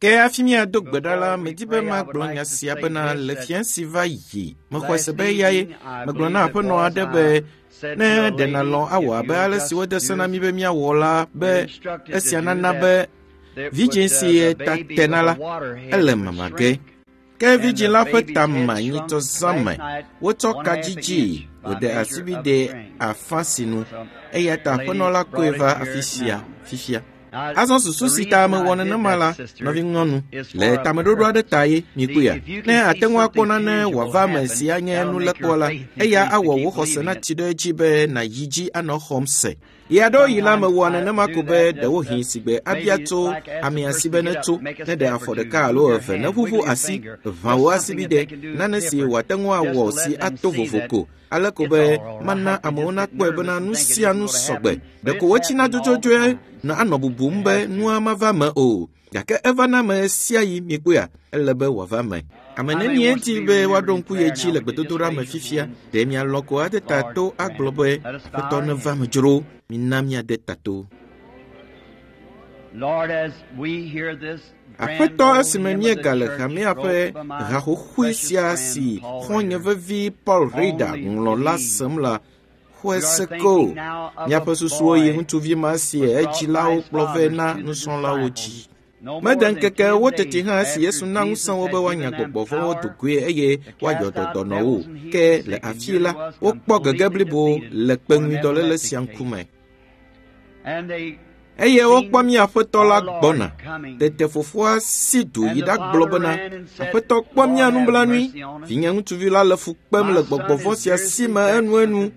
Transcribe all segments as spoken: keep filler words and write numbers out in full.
Ke hafi míado gbe ɖa la, medi be magblɔ nya sia bena le fia si va yi, mexɔe se be eyae. Megblɔ na aƒenɔ aɖe be ne ɖe nàlɔ̃ awɔ abe ale si wode se na mí be míawɔ la be esia nana be vidzĩ si ta tena la, ele mama ge. Ke vidzĩ la ƒe ta ma nyitsɔ zã me. Wotsɔ ka dzidzi wòde asibide afã sinu eya ta aƒenɔ la kɔe va afi sia fifia. Azɔ susu si ta mewɔ nenema la, nɔvinyɔnu, le tameɖoɖo aɖe ta ye mikpɔea. Ne ate ŋu akpɔ nane wòava eme si anye nulekpɔ la, eya awɔ wò xɔse natsi ɖe edzi be nàyi dzi anɔ xɔm se. Ɣeaɖewoɣi la mewɔa nenema ko be ɖewohĩ sigbe abia tso amea si be netso, neɖe afɔ ɖeka alo eve, neʋuʋu asi, ʋã wò asibide, nane si wòate ŋu awɔ si ato vovo ko. Ale ko be mana amewo nakpɔe bena nu sia nu sɔgbe. Ɖeko wotsina dzodzodzoe na anɔ bubum be nua mava me o. Gake evana me sia yi mikpɔea, ele be wòava me. Ame nenie di be woaɖo ŋku ye dzi le gbedodoɖa me fifia. Ɖe mialɔ̃ ko ade ta to agblɔ be Aƒetɔ neva me dzro. Mina míade ta to. Lord, as we hear this Aƒetɔ esime míegale hamea ƒe haxoxoe sia si xɔ̃nye vevi Paul Rader ŋlɔ la sem la, xɔe se ko. Míaƒe susuwo yi ŋutsuvi ma si edzilawo kplɔ vɛ na nusrɔ̃lawo dzi. Mede ŋkeke ewo teti hã esi Yesu na ŋusẽ wo be woanya gbɔgbɔ vɔ̃wo do goe eye woayɔ dɔ dɔnɔwo. Ke le afii la, wokpɔ gege blibo le kpeŋuidɔléle sia ŋkume. And they Eye wokpɔ mía Aƒetɔ la gbɔna. Tete fofoa si du yi ɖagblɔ bena, Aƒetɔ kpɔ mía nublanui. Vinye ŋutsuvi la le fu kpem le gbɔgbɔ vɔ̃ sia si me enuenu.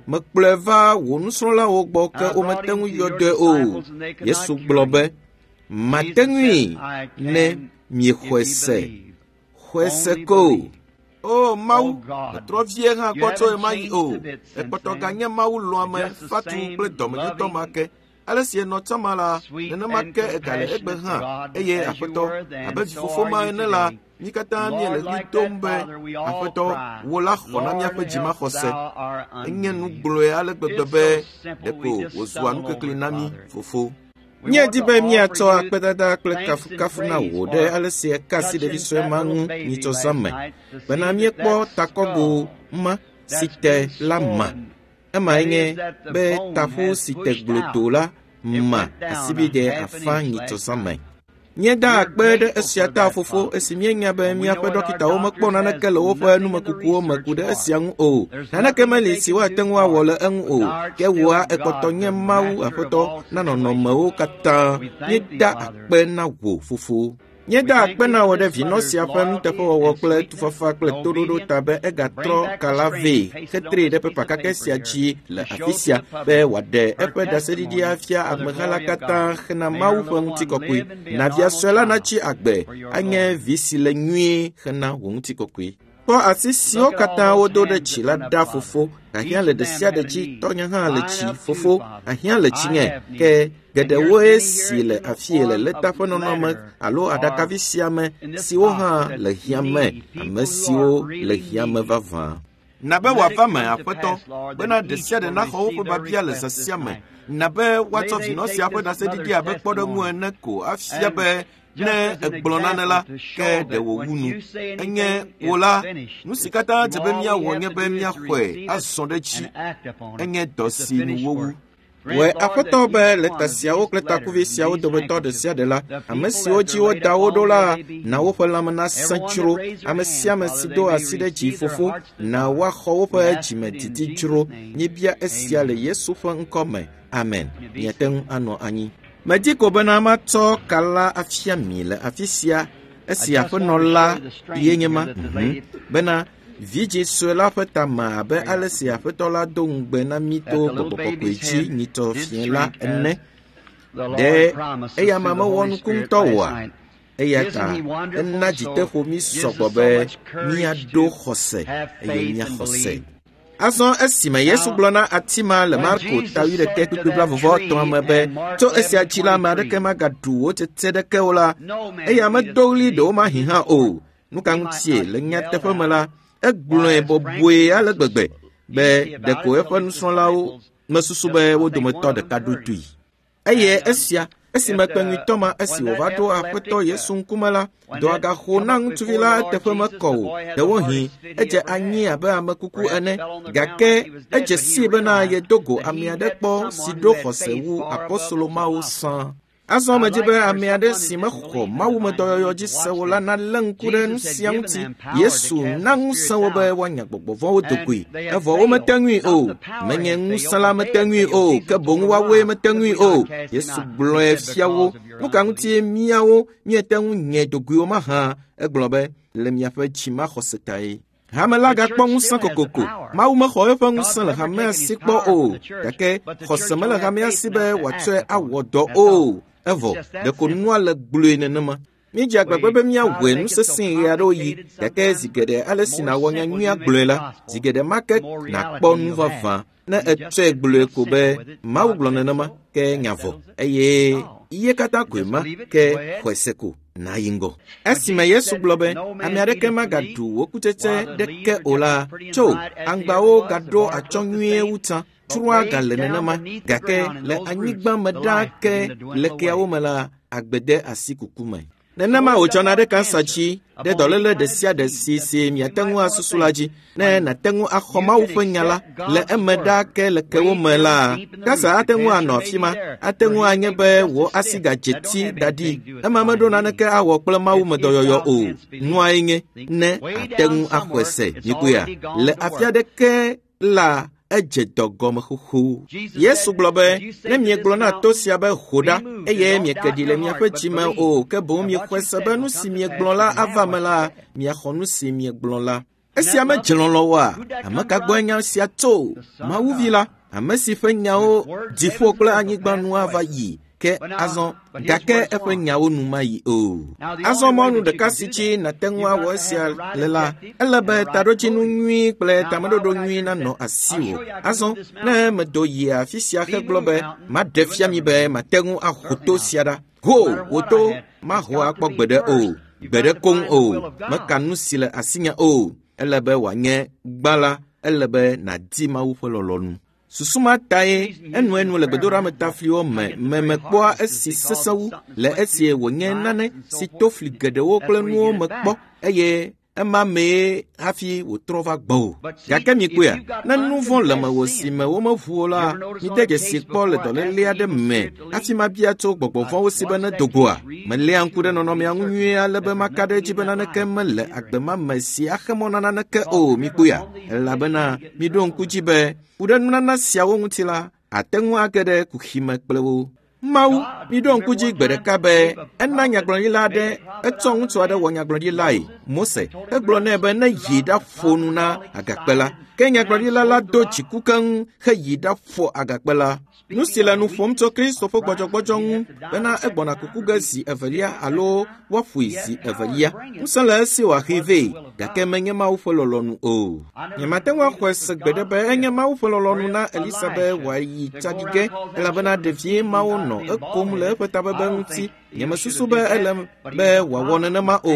Mekplɔe va wò nusrɔ̃lawo gbɔ ke womete ŋu yɔ dɔe o. Yesu gblɔ be, mate ŋui ne miexɔe se. Xɔe se ko. O Mawu, metrɔ vie hã kpɔ tso ɣemaɣi o. Ekpɔtɔ ganye Mawu lɔ̃ame, fatu kple dɔmenyotɔ ma ke. Ale si enɔ tsã ma la, nenema ke egale egbe hã. Eye Aƒetɔ, abe vifofo ma ene la, mí katã míele ɣli dom be, Aƒetɔ, wò la xɔ na míaƒe dzimaxɔse. Enye nu gblɔe ale gbegbe be ɖeko wòzua nukekli na mí, fofo. Míedi be míatsɔ akpedada kple kafukafu na wò ɖe ale si eka asi ɖevi sue ma ŋu nyitsɔ zã me bena míekpɔ takɔgo ma si te la ma. Emae nye be taƒu si te glodo la ma asibide afã nyitsɔ zã me. Míeda akpe ɖe esia ta fofo esi míenya be míaƒe ɖɔkitawo mekpɔ naneke le woƒe numekukuwo me ku ɖe esia ŋu o. Naneke meli si woate ŋu awɔ le eŋu o. Ke wòa ekpɔtɔ nye Mawu Aƒetɔ na nɔnɔmewo katã. Míeda akpe na wò fofo. Míeda akpe na wò ɖe vinɔ sia ƒe nuteƒewɔwɔ kple tufafa kple toɖoɖo ta be egatrɔ ka la vɛ hetree ɖe pepa kakɛ sia dzi le afi sia be wòaɖe eƒe ɖaseɖiɖi afia ameha la katã hena Mawu ƒe ŋutikɔkɔe. Na via sue la natsi agbe anye vi si le nyuie hena wò ŋutikɔkɔe. Kpɔ asi siwo katã wodo ɖe dzi la ɖa fofo. Ahiã le ɖe sia ɖe dzi, tɔnye hã le dzi fofo. Ahiã le dzinye ke geɖewoe si le afie le lɛta ƒe nɔnɔme alo aɖakavi sia me siwo hã le hiã me, ame siwo le hiã me vavã. Na be wòava me, Aƒetɔ, bena ɖe sia ɖe naxɔ woƒe biabia le zã sia me. Na be woatsɔ vinɔ sia ƒe ɖaseɖiɖi abe kpɔɖeŋu ene ko afia be ne egblɔ nane la, ke ɖe wòwu nu. Enye wò la, nu si katã dze be míawɔ nye be míaxɔe azɔ ɖe edzi. Enye dɔ si nu wowu. Wòe Aƒetɔ be lɛta siawo kple takuvi siawo dometɔ ɖe sia ɖe la, ame siwo dzi woda wo ɖo la, na woƒe lãme nasẽ dzro. Ame sia ame si do asi ɖe dzi fofo, na woaxɔ woƒe dzimedidi dzro. Míebia esia le Yesu ƒe ŋkɔ me. Amen. Miate ŋu anɔ anyi. Medi ko bena matsɔ ka la afia mi le afi sia esi aƒenɔ la ye nye ma mhm. bena vidzĩ sue la ƒe ta ma abe ale si aƒetɔ la do ŋugbe na mí to gbɔgbɔ kɔkɔe dzi nyitsɔ fiẽ la ene. Ɖe eya ma mewɔ nuku ŋutɔ oa? Eya ta ena dziteƒo mí sɔgbɔ be míaɖo xɔse eye míaxɔ se. Azɔ esime Yesu gblɔ na ati ma le Marko ta wuiɖekɛ kpukpui blaeve etɔ̃a me be tso esia dzi la ame aɖeke magaɖu wò tsetse ɖeke o la, eya medo ɣli ɖewomahi hã o. Nu ka ŋutie le nyateƒe me la, egblɔe bɔbɔe ale gbegbe be ɖeko eƒe nusrɔ̃lawo mesusu be wo dometɔ ɖeka ɖo toe. Eye esia Esime kpeŋuitɔ ma esi wòva ɖo Aƒetɔ Yesu ŋkume la, dɔa gaxo na ŋutsuvi la eteƒe mekɔ o. Ɖewohĩ edze anyi abe ame kuku ene, gake edze sii bena yedo go ame aɖe kpɔ si ɖo xɔse wu apostolo mawo sã. Azɔ medzi be ame aɖe si mexɔ mawumedɔyɔyɔ dzi se o la nalé ŋku ɖe nu sia ŋuti. Yesu na ŋusẽ wo be woanya gbɔgbɔ vɔ̃wo do goe, evɔ womete ŋui o. Menye ŋusẽ la mete ŋui o, ke boŋ woawoe mete ŋui o. Yesu gblɔe fia wo. Nu ka ŋutie míawo míete ŋu nye do goe o mahã? Egblɔ be le miaƒe dzimaxɔse tae. Hame la gakpɔ ŋusẽ kokoko. Mawu mexɔ eƒe ŋusẽ le hamea si kpɔ o, gake xɔse mele hamea si be wòatsɔe awɔ dɔ o. Evɔ ɖeko nua le gblɔe nenema. Míedze agbagba be míawɔe nu sesẽ ɣe aɖewo yi, gake zi geɖe ale si nàwɔ nyanyuia gblɔe la, zi geɖe ma ke nàkpɔ nu vavã. Ne ètsɔe gblɔe ko be Mawu gblɔ nenema, ke nya vɔ eye iye katã koe ma, ke xɔe se ko nàyi ŋgɔ. Esime Yesu gblɔ be ame aɖeke magaɖu wò kutsetse ɖeke o la, tso aŋgbawo gaɖo atsyɔ̃ nyuie wu tsã. Tsroa gale nenema, gake le anyigba me ɖaa ke le keawo me la, agbe de asi kuku me. Nenema wòdzɔna ɖe kansa dzi, ɖe dɔléle ɖe sia ɖe si si miate ŋu asusu la dzi. Ne nàte ŋu axɔ Mawu ƒe nya la le eme ɖaa ke le kewo me la, kansa ate ŋu anɔ afi ma. Ate ŋu anye be wò asi gadze ti da ɖi. Ema meɖo naneke awɔ kple mawumedɔyɔyɔ o. Nuae nye ne àte ŋu axɔe se. Mikpɔea? Le afi aɖeke la, edze dɔ gɔme xoxo. Yesu gblɔ be, ne miegblɔ na to sia be ho ɖa, eye mieke ɖi le miaƒe dzi me o, ke boŋ miexɔe se be nu si miegblɔ la ava me la, miaxɔ nu si miegblɔ la. Esia medze lɔlɔ̃ oa? Ame ka gbɔe nya sia tso? Mawuvi la, ame si ƒe nyawo dziƒo kple anyigba nu ava yi, ke azɔ gake eƒe nyawo nu mayi o. Azɔ mɔnu ɖeka si dzi nàte ŋu awɔ esia le la, ele be taɖodzinu nyui kple tameɖoɖo nyui nanɔ asiwò. Azɔ ne medo yi afi sia hegblɔ be maɖe fia mi be mate ŋu aho to sia ɖa. Ho wò to maho akpɔ gbeɖe o, gbeɖe koŋ o, meka nu si le asinye o. Ele be wòanye gbã la, ele be nàdi Mawu ƒe lɔlɔ̃nu. Susu ma tae enuenu le gbedoɖametafliwo me memekpɔa esi sesẽ wu le esie wònye nane si to fli geɖewo kple nuwo me kpɔ eye ema mee hafi wòtrɔ va gbɔwò. Gake mikpɔea, ne nu vɔ̃ le mewò si me womeʋu o la, mide dzesi kpɔ le dɔléle aɖe me hafi mabia tso gbɔgbɔ vɔ̃wo si be nedo goa. Meléa ŋku ɖe nɔnɔmea ŋu nyuie ale be maka ɖe edzi be naneke mele agbe ma me si axe mɔ na naneke o. Mikpɔea, elabena miɖo ŋku dzi be ku ɖe nunana siawo ŋuti la, ate ŋu age ɖe kuxi me kple wo. Mawu, miɖo ŋku dzi gbe ɖeka be ena nyagblɔɖila aɖe, etsɔ ŋutsu aɖe wɔ nyagblɔɖilae, Mose, egblɔ nɛ be ne yi ɖaƒo nu na agakpe la. Ke nyagblɔɖila la do dziku keŋ heyi ɖaƒo agakpe la. Nu si le nu ƒom tso Kristo ƒe gbɔdzɔgbɔdzɔ ŋu bena egbɔna kuku ge zi evelia alo woaƒoe zi evelia. Ŋusẽ le esi wòaxee vɛ, gake menye Mawu ƒe lɔlɔ̃nu o. Nyemate ŋu axɔe se gbeɖe be enye Mawu ƒe lɔlɔ̃nu na Elisa be wòayi tsaɖi ge, elabena ɖevi mawo nɔ ekom le eƒe tabebe ŋuti. Nyemesusu be ele be wòawɔ nenema o,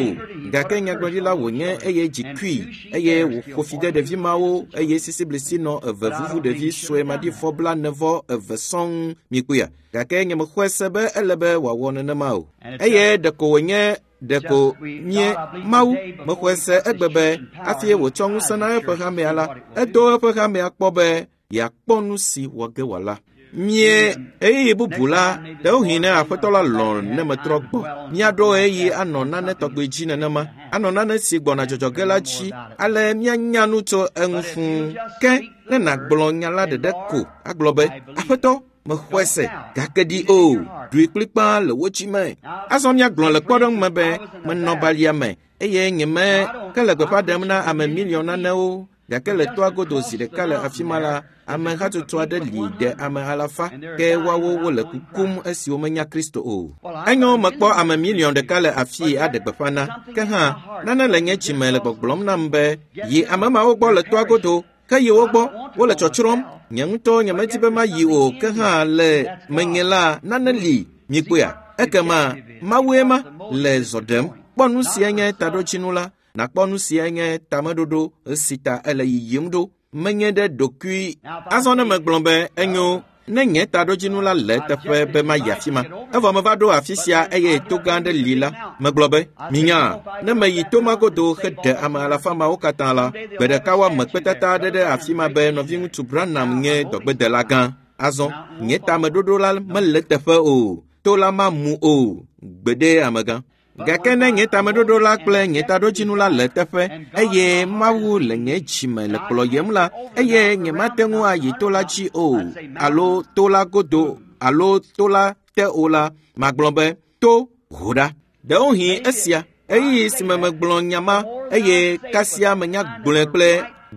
gake nyagblɔɖila wònye eye dzi kui eye wòƒo fi de ɖevi mawo eye sisiblisi nɔ eve vuvu ɖevi sue maɖifɔ blaene vɔ eve sɔŋ mikpɔea. Gake nyemexɔe se be ele be wòawɔ nenema o. Eye ɖeko wònye ɖeko mie Mawu mexɔe se egbe be hafi wòtsɔ ŋusẽ na eƒe hamea la, edo eƒe hamea kpɔ be yeakpɔ nu si wɔ ge wòala. Mie ɣeyiɣi bubu la, ɖewohĩ ne Aƒetɔ la lɔ̃ ne metrɔ gbɔ, míaɖo ɣeyiɣi anɔ nane tɔgbe dzi nenema, anɔ nane si gbɔna dzɔdzɔ ge la dzi, ale míanya nu tso eŋu fũu. Ke ne nàgblɔ nya la ɖeɖe ko agblɔ be, Aƒetɔ, mexɔe se, gake ɖi o, ɖoe kplikpaa le wò dzi me. Azɔ míagblɔ le kpɔɖeŋu me be menɔ balia me eye nyeme ke le gbeƒã ɖem na ame miliɔn nanewo. Gake le toa godo zi ɖeka le afi ma la, ame hatsotso aɖe li ɖe ame alafa, ke woawo wole kukum esi womenya Kristo o. Enyo mekpɔ ame miliɔn ɖeka le afii aɖe gbeƒã na. Ke hã, nane le nye dzime le gbɔgblɔm nam be, yi ame mawo gbɔ le toa godo, ke yi wo gbɔ, wole tsɔtsrɔ̃m. Nye ŋutɔ nyemedi be mayi o, ke hã le menye la, nane li. Mikpɔea? Ekema Mawue ma le zɔ ɖem. Kpɔ nu si nye taɖodzinu la, nakpɔ nu si nye tameɖoɖo si ta ele yiyim ɖo. Menye ɖe ɖokui. Azɔ ne megblɔ be enyo, Ne nye taɖodzinu la le eteƒe be mayi afi ma, evɔ meva ɖo afi sia eye to gã aɖe li la, megblɔ be, minya, ne meyi to ma godo heɖe ame alafa mawo katã la, gbe ɖeka woame kpetata aɖe ɖe afi ma be nɔviŋutsu Branham nye dɔgbedela gã. Azɔ, nye tameɖoɖo la mele teƒe o, to la mamu o, gbeɖe amegã. Gake ne nye tameɖoɖo la kple nye taɖodzinu la le teƒe eye Mawu le nye dzime le kplɔyem la, eye nyemate ŋu ayi to la dzi o, alo to la godo alo to la te o la, magblɔ be, to ho ɖa. Ɖewohĩ esia, ɣeyiɣi si me megblɔ nya ma eye kasia menya gblɔe kple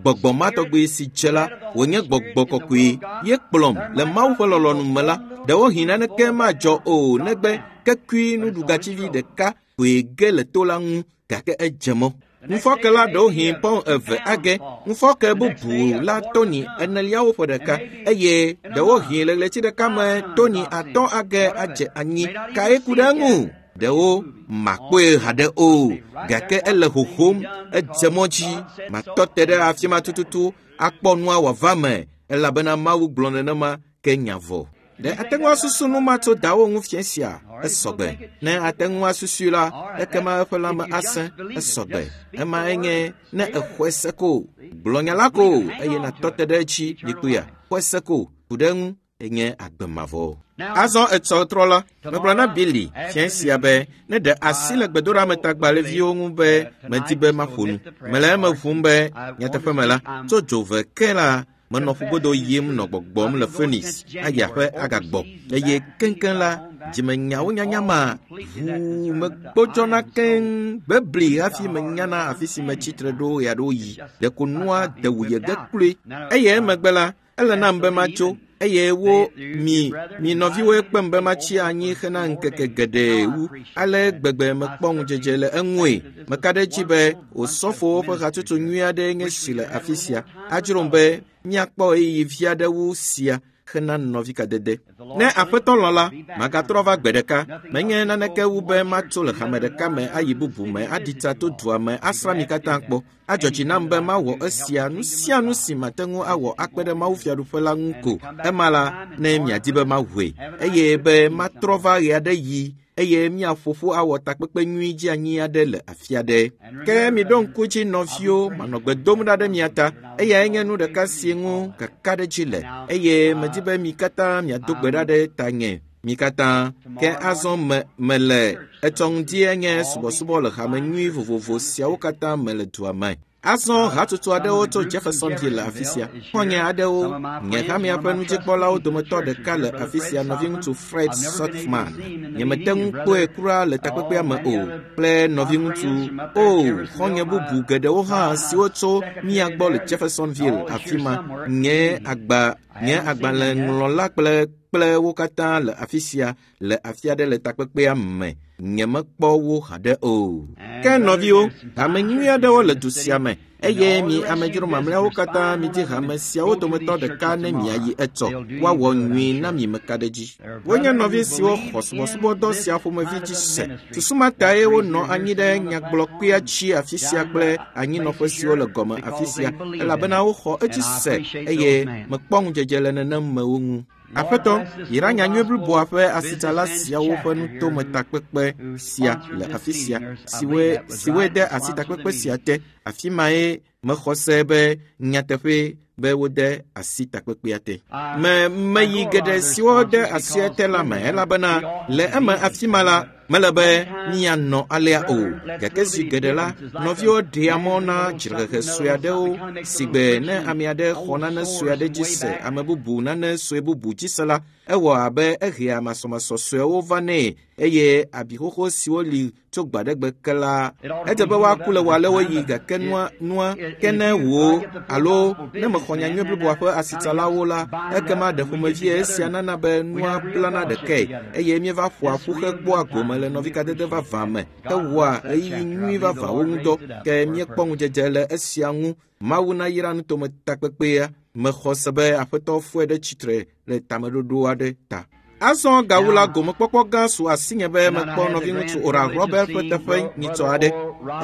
gbɔgbɔ ma tɔgbi si dze la, wònye gbɔgbɔ kɔkɔe ye kplɔm le Mawu ƒe lɔlɔ̃nu me la, ɖewohĩ naneke madzɔ o negbe kekui nuɖugatsivi ɖeka koe ge le to la ŋu gake edze mɔ. Ŋufɔke la ɖewohĩ pɔn eve age, ŋufɔke bubu la toni eneliawo ƒe ɖeka eye ɖewohĩ le ɣleti ɖeka me toni atɔ̃ age adze anyi. Kae ku ɖe eŋu? Ɖewo makpɔe haɖe o, gake ele hohom, edze mɔ dzi. Matɔ te ɖe afi ma tututu akpɔ nua wòava me elabena Mawu gblɔ nenema ke nya vɔ. Ɖe ate ŋu asusu nu ma tso dawo ŋu fiẽ sia? Esɔgbe. Ne ate ŋu asusui la, ekema eƒe lãme asẽ. Esɔgbe. Ema enye ne exɔe se ko, gblɔ nya la ko eye nàtɔ te ɖe edzi mikpuia. Xɔe se ko, ku ɖe eŋu enye agbe mavɔ. Azɔ etsɔ trɔ la, megblɔ na Billy fiẽ sia be ne ɖe asi le gbedoɖametagbalẽviwo ŋu be medi be maƒo nu. Mele eme ʋum be nyateƒe me la, tso dzove ke la, menɔ ƒugodo yim nɔ gbɔgbɔm le Phoenix ayi aƒe agagbɔ eye keŋkeŋ la, dzimenyawo nyanya ma ʋuu megbɔdzɔna keŋ bebli hafi menyana afi si metsitre ɖo ɣeaɖewoɣi. Ɖeko nua de wuye ge kloe. Eye emegbe la, ele nam be matso eye wo mi mi nɔviwoe kpem be matsi anyi hena ŋkeke geɖe wu. Ale gbegbe mekpɔ ŋudzedze le eŋue. Meka ɖe edzi be osɔfowo ƒe hatsotso nyui aɖee nye si le afi sia. Adzrom be míakpɔ ɣeyiɣi vi aɖe wu sia hena nɔvikadede. Ne aƒetɔ lɔ̃ la, magatrɔ va gbe ɖeka. Menye naneke wu be matso le hame ɖeka me ayi bubu me aɖi tsa to dua me asrã mi katã kpɔ. Adzɔ dzi nam be mawɔ esia nu sia nu si mate ŋu awɔ akpe ɖe Mawu fiaɖuƒe la ŋu ko. Ema la, ne miadi be mawɔe eye be matrɔ va ɣe aɖe yi eye míaƒo ƒu awɔ takpekpe nyui dzi anyi aɖe le afi aɖe. Ke miɖo ŋku dzi nɔviwo, manɔ gbe dom ɖa ɖe mia ta. Eyae nye nu ɖeka si ŋu kakaɖedzi le eye medi be mi katã miado gbe ɖa ɖe tanye. Mi katã. Ke azɔ me mele etsɔ ŋdi enye subɔsubɔ le hame nyui vovovo siawo katã me le dua me. Azɔ hatsotso aɖewo tso Jeffersonville le afi sia. Xɔ̃nye aɖewo, nye hamea ƒe nudzikpɔlawo dometɔ ɖeka le afi sia, nɔviŋutsu Fred Sothmann. Nyemete ŋu kpɔe kura le takpekpea me o, kple nɔviŋutsu o xɔ̃nye bubu geɖewo hã siwo tso mía gbɔ le Jeffersonville afi ma. Nye agba nye agbalẽŋlɔla kple kple wo katã le afi sia le afi aɖe le takpekpea me. Nyemekpɔ wo haɖe o. Ke nɔviwo, hame nyui aɖewo le du sia me eye mi amedzro mamlɛawo katã midi hame siawo dometɔ ɖeka ne miayi etsɔ. Woawɔ nyui na mi meka ɖe dzi. Wonye nɔvi siwo xɔ subɔsubɔdɔ sia ƒomevi dzi se. Susu ma tae wonɔ anyi ɖe nyagblɔkpea dzi afi sia kple anyinɔƒe siwo le gɔme afi sia elabena woxɔ edzi se eye mekpɔ ŋudzedze le nenem mewo ŋu. Aƒetɔ, yra nyanyui bliboa ƒe asitsala siawo ƒe nutometakpekpe sia le afi sia, siwoe siwoe de asi takpekpe sia te. Afi mae mexɔ se be nyateƒe be wode asi takpekpea te. Me meyi geɖe siwo de asia te la me elabena le eme afi ma la, mele be míanɔ alea o. Gake zi geɖe la, nɔviwo ɖea mɔ na dzrehehe sue aɖewo sigbe ne ame aɖe xɔ nane sue aɖe dzi se ame bubu nane sue bubu dzi se la, ewɔ abe ehea masɔmasɔ suewo va nɛ eye abi xoxo siwo li tso gbaɖegbe ke la, edze be woaku le wòalewoɣi gake nua nua ke ne wò alo ne mexɔ nyanyui bliboa ƒe asitsalawo la, ekema ɖe ƒomevie esia nana be nua blana ɖekae eye míeva ƒoa ƒu hekpɔa gome le nɔvikadede vavã me hewɔa ɣeyiɣi nyui vavãwo ŋudɔ. Ke míekpɔ ŋudzedze le esia ŋu. Mawu nayra nutometakpekpea. Mexɔ se be aƒetɔ fɔe ɖe tsitre le tameɖoɖo aɖe ta. Azɔ gawu la gomekpɔkpɔ gã su asinye be mekpɔ nɔviŋutsu Oral Roberts ƒe teƒe nyitsɔ aɖe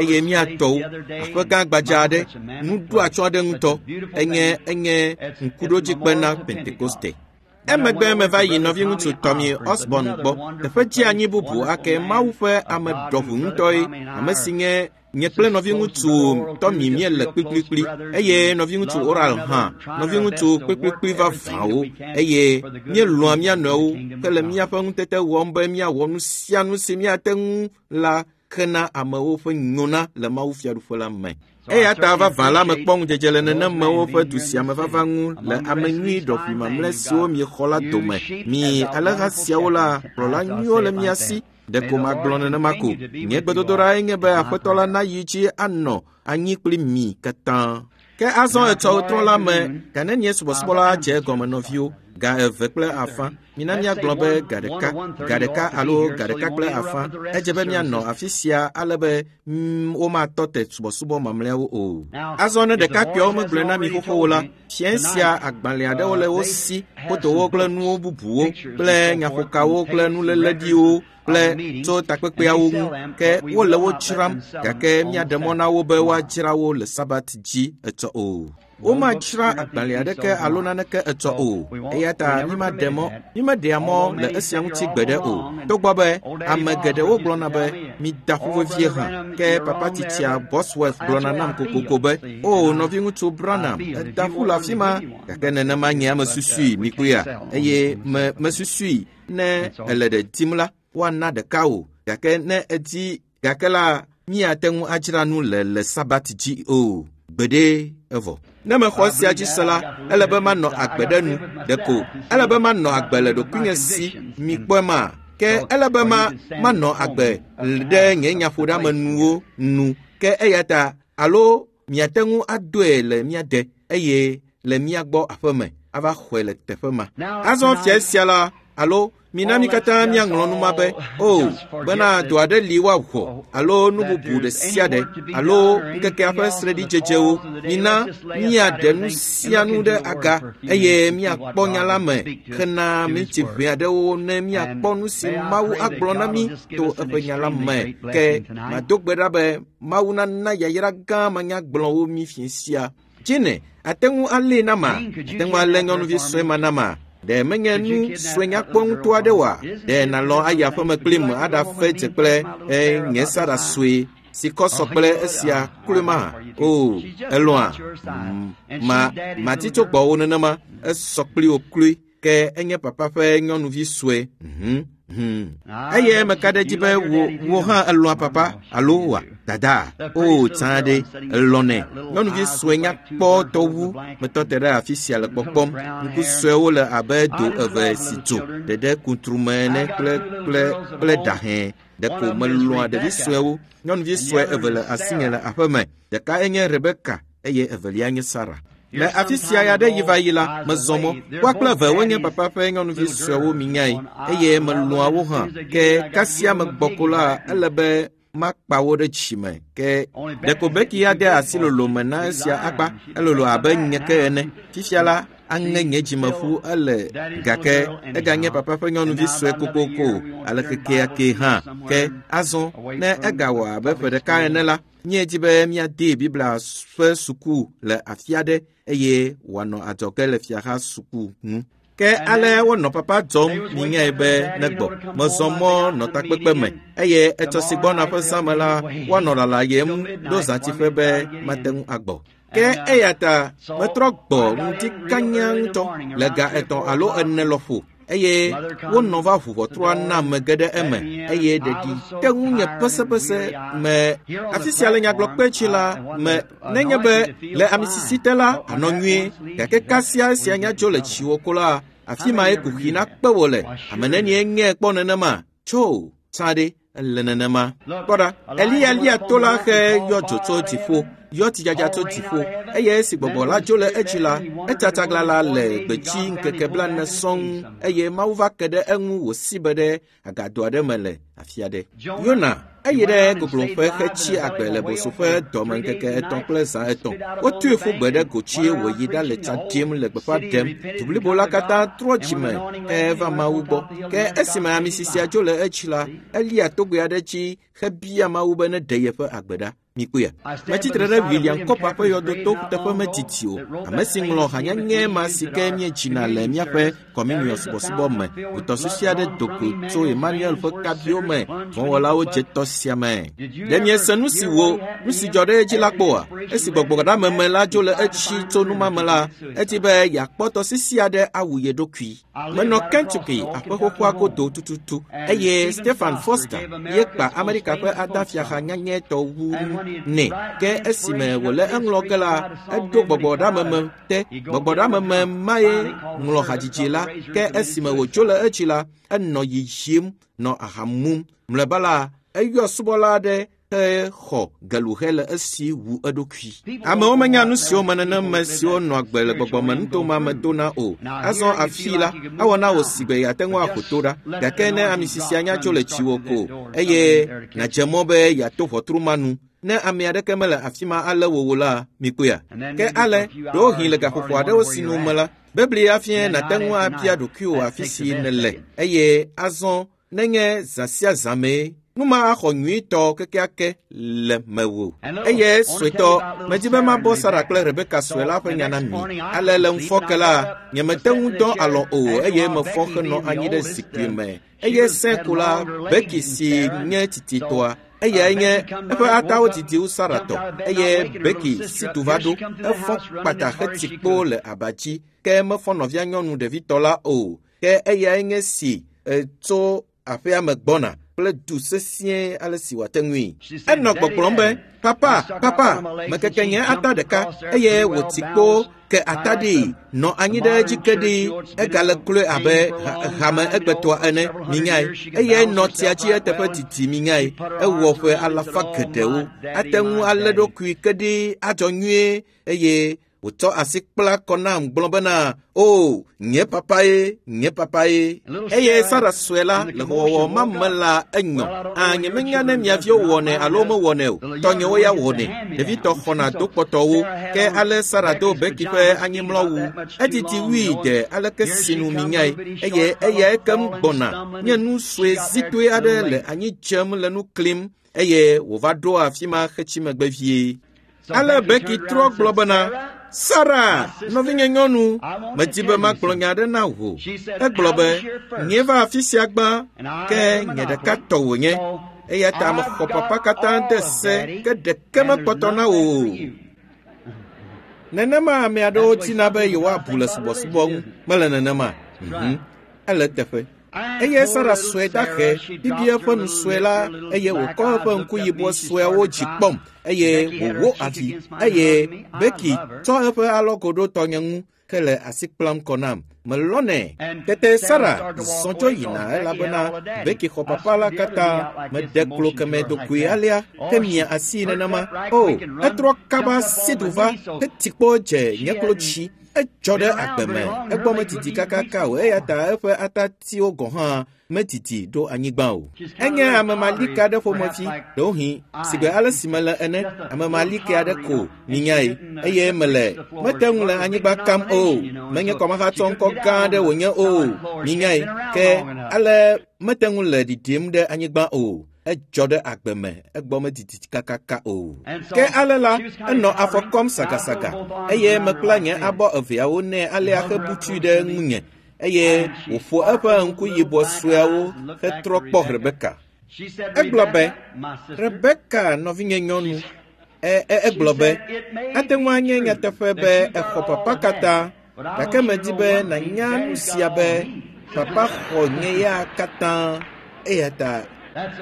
eye míatɔwo aƒe gã gbadza aɖe, nuɖoatsyɔ̃ aɖe ŋutɔ. Enye enye ŋkuɖodzikpe na Pentekoste. Emegbe meva yi nɔviŋutsu Tommy Osborn gbɔ. Teƒe dzeanyi bubu ake Mawu ƒe ame ɖɔʋu ŋutɔe, ame si nye nye kple nɔviŋutsu Tommy míele kplikplikpli eye nɔviŋutsu Oral hã, nɔviŋutsu kplikplikpli vavãwo eye míelɔ̃a mía nɔewo hele míaƒe ŋutete wɔm be míawɔ nu sia nu si míate ŋu la hena amewo ƒe nyona le Mawu fiaɖuƒe la me. Eya ta vavã la mekpɔ ŋudzedze le nenemewo ƒe du sia me vava ŋu le ame nyui ɖɔʋui mamlɛ siwo miexɔ la dome. Mi alẽha siawo la, kplɔla nyuiwo le mia si. Ɖeko magblɔ nenema ko. Nye gbedodoɖae nye be Aƒetɔ la nayi dzi anɔ anyi kpli mi katã. Ke azɔ etsɔ trɔ la me, ga nenie subɔsubɔ la dze egɔme nɔviwo? Ga eve kple afã. Mina míagblɔ be ga ɖeka, ga ɖeka alo ga ɖeka kple afã. Edze be míanɔ afi sia ale be womatɔ te subɔsubɔ mamlɛawo o. Azɔ ne ɖekakpuiawo megblɔe na mi xoxo o la, fiẽ sia agbalẽ aɖewo le wo si, fotowo kple nuwo bubuwo kple nyaƒokawo kple nuléleɖiwo kple tso takpekpeawo ŋu, ke wole wo dzram, gake míaɖe mɔ na wo be woadzra wo le Sabat dzi etsɔ o. Womadzra agbalẽ aɖeke alo naneke etsɔ o. Eya ta mímaɖe mɔ, mímeɖea mɔ le esia ŋuti gbeɖe o. Togbɔ be ame geɖewo gblɔna be mida ƒu vevie hã, ke papa tsitsia Bosworth gblɔna nam kokoko be, o nɔviŋutsu Branham, eda ƒu le afi ma, gake nenema nye ame susui mikpɔea, eye me mesusui ne ele ɖe dim la, woana ɖeka o, gake ne edi gake la míate ŋu adzra nu le le Sabat dzi o. Gbeɖe evɔ. Ne mexɔ esia dzi se la, ele be manɔ agbe ɖe nu ɖeko. Ele be manɔ agbe le ɖokuinye si mikpɔe ma. Ke ele be ma manɔ agbe ɖe nye nyaƒoɖeamenuwo nu. Ke eya ta alo miate ŋu adoe le mía de eye le mía gbɔ aƒeme ava xɔe le teƒe ma. Azɔ fia sia la alo mina mi katã míaŋlɔ nu ma be, o, bena dɔ aɖe li woawɔ alo nu bubu ɖe sia ɖe alo ŋkekea ƒe sreɖidzedzewo. Mina míaɖe nu sia nu ɖe aga eye míakpɔ nya la me hena minti ʋɛ aɖewo ne míakpɔ nu si Mawu agblɔ na mí to eƒe nya la me. Ke mado gbe ɖa be Mawu nana yayra gã manyagblɔwo mí fiẽ sia. Dzine, ate ŋu alée na ma, ate ŋu alé nyɔnuvi sue ma na ma. Ɖe menye nu sue nyakpɔ ŋutɔ aɖe oa? Ɖe nàlɔ̃ ayi aƒeme kplim aɖafe dze kple nye Sara sue si kɔ sɔ kple esia kloe ma? O, elɔ̃a? Ma mati tso gbɔwò nenema, esɔ kpli wò kloe. Ke enye papa ƒe nyɔnuvi sue. Mhm, hmm. Eye meka ɖe edzi be wò wò hã elɔ̃a papa alo wòa dada. O, tsã ɖe elɔ̃nɛ. Nyɔnuvi sue nyakpɔ tɔ wu metɔ te ɖe afi sia le kpɔkpɔm. Ŋku suewo le abe do eve si dzo ɖeɖe kuntrume ene kple kple kple ɖahɛ. Ɖeko melɔ̃a ɖevi suewo. Nyɔnuvi sue eve le asinye le aƒeme. Ɖeka enye Rebeka eye evelia nye Sara. Le afi sia ya ɖe yi va yi la, mezɔ mɔ. Woa kple eve wonye papa ƒe nyɔnuvi suewo minyae eye melɔ̃a wo hã. Ke kasia megbɔ ko la, ele be makpa wo ɖe dzime. Ke ɖeko Becky ya de asi lolo me na esia akpa. Elolo abe nye ke ene. Fifia la, aŋe nye dzimeƒu ele gake eganye papa ƒe nyɔnuvi sue kokoko ale kekeake hã. Ke azɔ ne egawɔ abe ƒe ɖeka ene la, míedi be míade Biblia ƒe suku le afi aɖe eye wòanɔ adzɔge le fiaha suku ŋu. Ke ale wonɔ papa dzɔm minyae be negbɔ. Mezɔ mɔ nɔ takpekpe me eye etsɔ si gbɔna ƒe zãme la, woanɔ lalayem ɖo zãtiƒe be mate ŋu agbɔ. Ke eya ta metrɔ gbɔ ŋdi kanya ŋutɔ le ga etɔ̃ alo ene lɔƒo eye wonɔ va ʋu ʋɔtrua nam mege ɖe eme eye ɖeɖi te ŋu nye pesepese me. Afi sia le nyagblɔkpe tsi la me nenye be le amisisi te la anɔ nyuie, gake kasia esia nya dzo le tsiwò ko la, afi mae kuxi nakpe wò le. Ame nenie ŋe kpɔ nenema? Tso, tsã ɖe, ele nenema. Kpɔ ɖa, Eliya lia to la xe yɔ dzo tso dziƒo, yɔ tsidzadza tso dziƒo, eye esi gbɔgbɔ la dzo le edzi la, etsatsaglã la le gbedzi ŋkeke blaene sɔŋ eye Mawu va ke ɖe eŋu wòsi be ɖe agado aɖe me le afi aɖe. Yona eyi ɖe gogloƒe hetsi agbe le bosoƒe dɔme ŋkeke etɔ̃ kple zã etɔ̃. Wotui ƒu gbe ɖe gotsi wòyi ɖale tsa ɖim le gbeƒã ɖem. Du blibo la katã trɔ dzime heva Mawu gbɔ. Ke esime ami sisia dzo le etsi la, elia togbɛ aɖe dzi hebia Mawu be neɖe yeƒe agbe ɖa. Mikpɔea? Metsitre ɖe William Cooper ƒe yɔdoto teƒe medidi o, ame si ŋlɔ hanyanye ma si ke míedzina le míaƒe kɔminiɔ subɔsubɔ me. Ʋutɔsisi aɖe do go tso Emmanuel ƒe kabiwo me. Vɔ̃wɔlawo dze tɔ sia me. Ɖe miese nu si wo nu si dzɔ ɖe edzi la kpɔa? Esi gbɔgbɔɖameme la dzo le etsi tso numa me la, edi be yeakpɔ tɔsisi aɖe awu ye ɖokui. Menɔ Kentucky aƒe xoxoa godo tututu eye Stephen Foster ye kpa Amerika ƒe adafiaha nyanyɛtɔ wu nɛ. Ke esime wòle eŋlɔ ge la, eɖo gbɔgbɔɖameme te. Gbɔgbɔɖameme mae ŋlɔ hadzidzi la. Ke esime wòdzo le edzi la, enɔ yiyim nɔ aha mum. Mlɔeba la, eyɔ subɔla aɖe hexɔ geluhe le esi wu eɖokui. Amewo menya nu siwo me neneme siwo nɔ agbe le gbɔgbɔmenutoma me dona o. Azɔ afi la, ewɔ na wò si be yeate ŋu aƒo to ɖa. Gake ne ami sisia nya tso le tsiwò ko eye nàdze mɔ be yeato ʋɔtru ma nu, ne ame aɖeke mele afi ma alé wò o la, mikpɔea? Ke ale, ɖewohĩ le gaƒoƒo aɖewo sinu me la, Biblia afia nàte ŋu abia ɖokuiwò afi si nèle eye azɔ nenye zã sia zã mee nu ma axɔ nyuitɔ kekeake le mewò. Eye suetɔ, medi be mabɔ Sara kple Rebeka sue la ƒe nya na mi. Ale le ŋufɔke la, nyemete ŋu dɔ alɔ o eye mefɔ henɔ anyi ɖe zikpui me. Eye sẽ ko la, Becky si nye tititɔa, eyae nye eƒe atawo didi wu Sara tɔ eye Becky si tu va ɖo, efɔ kpata hetsi kpo le aba dzi ke mefɔ nɔvia nyɔnu ɖevitɔ la o. Ke eyae nye si tso aƒea me gbɔna kple du sesĩe ale si wòate ŋui. Enɔ gbɔgblɔm be, papa, papa, mekeke nye ata ɖeka eye wòtsi kpo ke ata ɖi nɔ anyi ɖe edzi ke ɖi egale kloe abe hame egbetɔa ene minyae eye nɔ tsia dzi eteƒe didi minyae ewɔ ƒe alafa geɖewo ate ŋu alé ɖokui ke ɖi adzɔ nyuie eye wòtsɔ asi kpla kɔ nam gblɔ bena o nye papa ye nye papa ye. Eye Sara sue la le xɔwɔwɔ ma me la enyɔ. A nyemenya ne mia viwo wɔnɛ alo mewɔnɛ o. Tɔnyewo ya wɔnɛ. Ɖevitɔ xɔna do kpɔtɔwo. Ke ale Sara do Becky ƒe anyimlɔwu. Edidi wui de aleke sinu minyae eye eyae kem gbɔna nye nu sue zitoe aɖe le anyi dzem le nu klim eye wòva ɖo afi ma hetsi megbe vie. Ale Becky trɔ gblɔ bena, Sara, nɔvinye nyɔnu, medi be magblɔ nya aɖe na wò. Egblɔ be, nye va afi sia gbã, ke nye ɖeka tɔ wònye. Eya ta mexɔ papa katã de se, ke ɖeke mekpɔtɔ na wò o. Nenema ame aɖewo dina be yewoabu le subɔsubɔ ŋu. Mele nenema? Mhm. Ele teƒe. Eye Sara sue dahe bibi eƒe nu sue la eye wòkɔ eƒe ŋku yibɔ sueawo dzi kpɔm eye wòwó avi eye Becky tsɔ eƒe alɔgo ɖo tɔnye ŋu hele asi kplam kɔ nam. Melɔnɛ. Tete Sara zɔ dzo yina elabena Becky xɔ papa la katã meɖe klo keme dokoe alea hemia asi nenema. O, etrɔ kaba si du va hetsi kpo dze nye klo dzi. Edzɔ ɖe agbe me. Egbɔ medidi kakaka o eya ta eƒe atatiwo gɔ̃ hã medidi ɖo anyigba o. Enye ame malike aɖe ƒomevi, ɖewohĩ sigbe ale si mele ene, ame malike aɖe ko minyae eye mele mete ŋu le anyigba kam o. Menye kɔmahatsɔ ŋkɔ gã aɖe wònye o minyae ke ale mete ŋu le ɖiɖim ɖe anyigba o. Edzɔ ɖe agbe me egbɔ medidi kakaka o. Ke ale la, enɔ afɔ kɔm sagasaga eye mekpla nye abɔ eveawo nɛ alea hebutui ɖe ŋunye eye wòƒo eƒe ŋku yibɔ sueawo hetrɔ kpɔ Rebeka. Egblɔ be, Rebeka nɔvinye nyɔnu, egblɔ be, ate ŋu anye nyateƒe be exɔ papa katã, gake medi be nànya nu sia be papa xɔ nye ya katã eya ta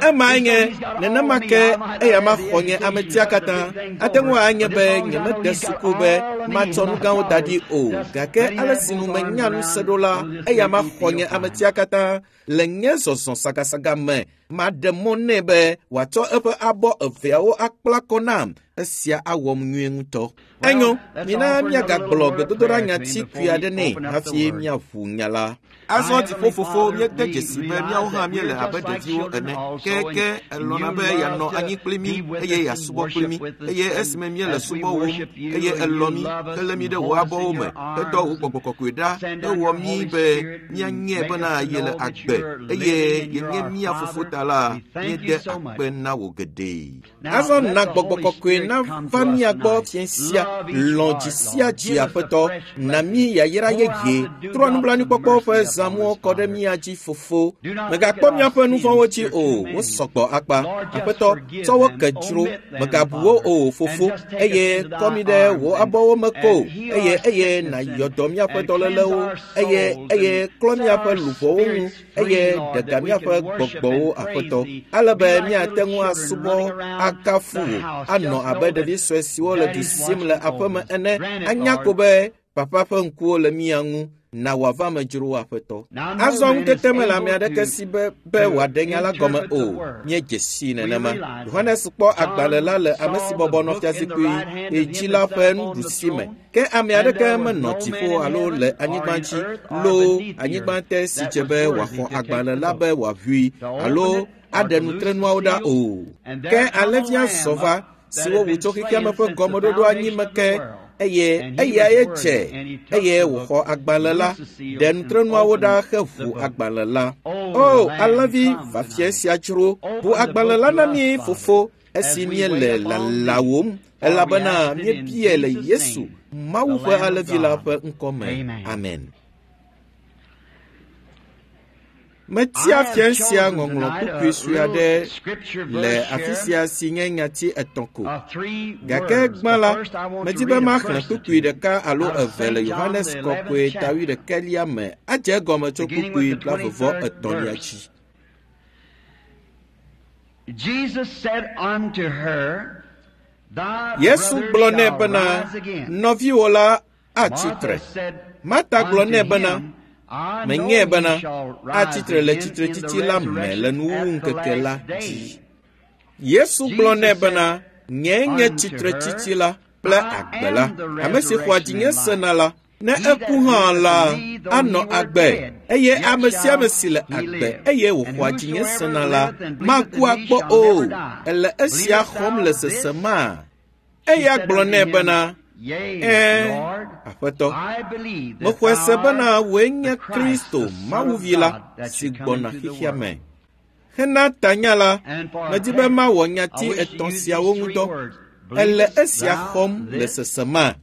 ema nye nenema ke eya ma xɔ nye ametia katã. Ate ŋu anye be nyemede suku be matsɔ nu gãwo da ɖi o, gake ale si nu menya nu se ɖo la, eya ma xɔ nye ametia katã le nye zɔzɔ sagasaga me Maɖe mɔ nɛ be wòatsɔ eƒe abɔ eveawo akpla kɔ nam. Esia awɔm nyuie ŋutɔ. Enyo, mina míagagblɔ gbedodoɖa nyati kpui aɖe nɛ hafi míaʋu nya la. Azɔ dziƒofofo míede dzesi be míawo hã míele abe ɖeviwo ene. Ke ke elɔ̃na be yeanɔ anyi kpli mí eye yeasubɔ kpli mí. Eye esime míele subɔwòm eye elɔ̃ mí helé mí ɖe wò abɔwo me hedɔ wò gbɔgbɔ kɔkɔe ɖa hewɔ mí be míanyae bena yele agbe eye yenye mía fofo ta la míede akpe na wò geɖe. Azɔ na gbɔgbɔ kɔkɔe nava mía gbɔ fiẽ sia. Lɔ̃ dzi sia dzi Aƒetɔ, na mí yayra yeye. Trɔ nublanuikpɔkpɔ ƒe zãmuwo kɔ ɖe mía dzi fofo. Mègakpɔ míaƒe nu vɔ̃wo dzi o, wosɔgbɔ akpa. Aƒetɔ, tsɔ wo ke dzro. Mègabu wo o fofo, eye kɔ mí ɖe wò abɔwo me ko. Eye eye nàyɔ dɔ míaƒe dɔlélewo, eye eye klɔ míaƒe luʋɔwo ŋu, eye ɖe ga míaƒe gbɔgbɔwo Aƒetɔ. Ale be míate ŋu asubɔ akafu wò, anɔ abe ɖevi sue siwo le du sim le aƒeme ene, anya ko be papa ƒe ŋkuwo le mía ŋu. Na wòava me dzro Aƒetɔ. Azɔ ŋutete mele ame aɖeke si be be wòaɖe nya la gɔme o. Míedze sii nenema. Yohanes kpɔ agbalẽ la le ame si bɔbɔ nɔ fiazikpui dzi la ƒe nuɖusi me. Ke ame aɖeke menɔ dziƒo alo le anyigba dzi loo anyigba te si dze be wòaxɔ agbalẽ la be wòaʋui alo aɖe nutrenuawo ɖa o. Ke alẽvia zɔ va si wowu tso xexeame ƒe gɔmeɖoɖo anyi me ke eye eyae dze eye wòxɔ agbalẽ la, ɖe nutrenuawo ɖa heʋu agbalẽ la. O, alẽvi va fiẽ sia dzro, ʋu agbalẽ la na mí fofo esi míele lalawòm elabena míebia le Yesu, Mawu ƒe alẽvi la ƒe ŋkɔ me. Amen. Metia fiẽ sia ŋɔŋlɔ kpukpui sue aɖe le afi sia si nye nyati etɔ̃ ko. Gake gbã la, medi be maxlẽ kpukpui ɖeka alo eve le Yohanes kɔkɔe ta wuiɖekɛlia me adze egɔme tso kpukpui blaeve vɔ etɔ̃lia dzi. Jesus said unto her, Thy Yesu brother gblɔ nɛ shall bena, rise again. nɔviwò la atsi Martha tre. said Marta gblɔ unto nɛ bena, him, I know menyae he bena shall rise atsi tre le again in the tsitretsitsi la me le resurrection nuwuwu at the ŋkeke la last day. dzi. Yesu gblɔ nɛ Jesus bena, nyee nye unto tsitretsitsi her, la kple I agbe la. am the Ame si xɔa resurrection dzinye and life. sena la, ne He that eku hã believeth la, in me, though anɔ he were agbe. dead, Eye yet ame sia shall ame si le he agbe live. eye And wòxɔa dzinye whosoever sena la, liveth and believeth maku in me akpɔ shall o. never die. Ele esia Believest xɔm thou le this? sesemaa? She Eya said gblɔ unto nɛ him, bena, Yea, Ɛ̃, Lord, Aƒetɔ, I believe that mexɔe se thou bena art wòe nye the Christ, Kristo, the Son Mawu of Vi la, God, that si should come gbɔna into the xexea world. me. Hena tanya la, And for our medi be text, mawɔ I nyati wish to etɔ̃ use siawo these ŋu three dɔ. words. Ele Believest esia thou xɔm le this? sesema.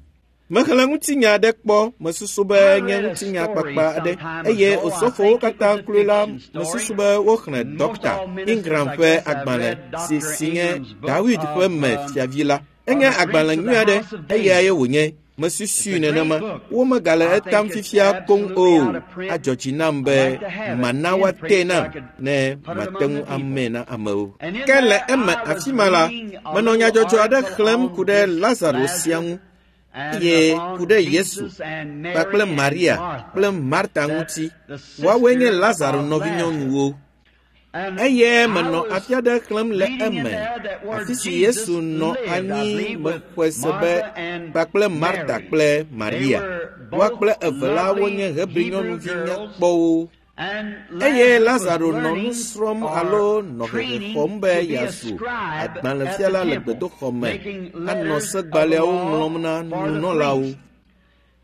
Mexlẽ ŋutinya aɖe kpɔ, mesusu be I nye read a ŋutinya story kpakpa some aɖe time eye ago. I osɔfowo think it katã was a kloe la fiction story. mesusu be woxlẽ Most Dɔkta all ministers, Ingram I ƒe guess, have agbalẽ read si Doctor si nye Ingram's book Dawid ƒe of, me um, fiavi la. of Enye the Prince agbalẽ of the nyui aɖe House of eyae David. wònye. It's Mesusui a great nenema. book. Womegale I etam think it's fifia koŋ absolutely o. out of print. Adzɔ dzi nam I'd be like to have it mana in woatee print so I nam could ne put it mate among ŋu the people. amee na amewo. And in Ke le there, eme I was afi ma la, reading a menɔ little nyadzɔdzɔ aɖe article xlẽm on ku ɖe this Lazaro sia Lazarus ŋu and eye upon ku ɖe Yesu Jesus and Mary kpakple and Maria Martha, kple Marta that ŋuti. the Woawoe nye sisters Lazaro of nɔvinyɔnuwo. Lazarus. And Eye I menɔ was afi aɖe xlẽm le reading in eme, there that where afi si Jesus Yesu nɔ lived, I anyi believe, with mexɔe se be Martha and kpakple Marta Mary. kple They Maria. were Woa both kple eve la lovely wonye Hebri Hebrew nyɔnuvi girls, nyakpɔwo. and Eye Lazarus was Lazaro nɔ nu learning srɔ̃m or alo nɔ hehe training xɔm be to be a yeazu scribe at the agbalẽfiala le temple, gbedoxɔ me making anɔ letters of the segbalẽawo law ŋlɔm na for the nunɔlawo. priests.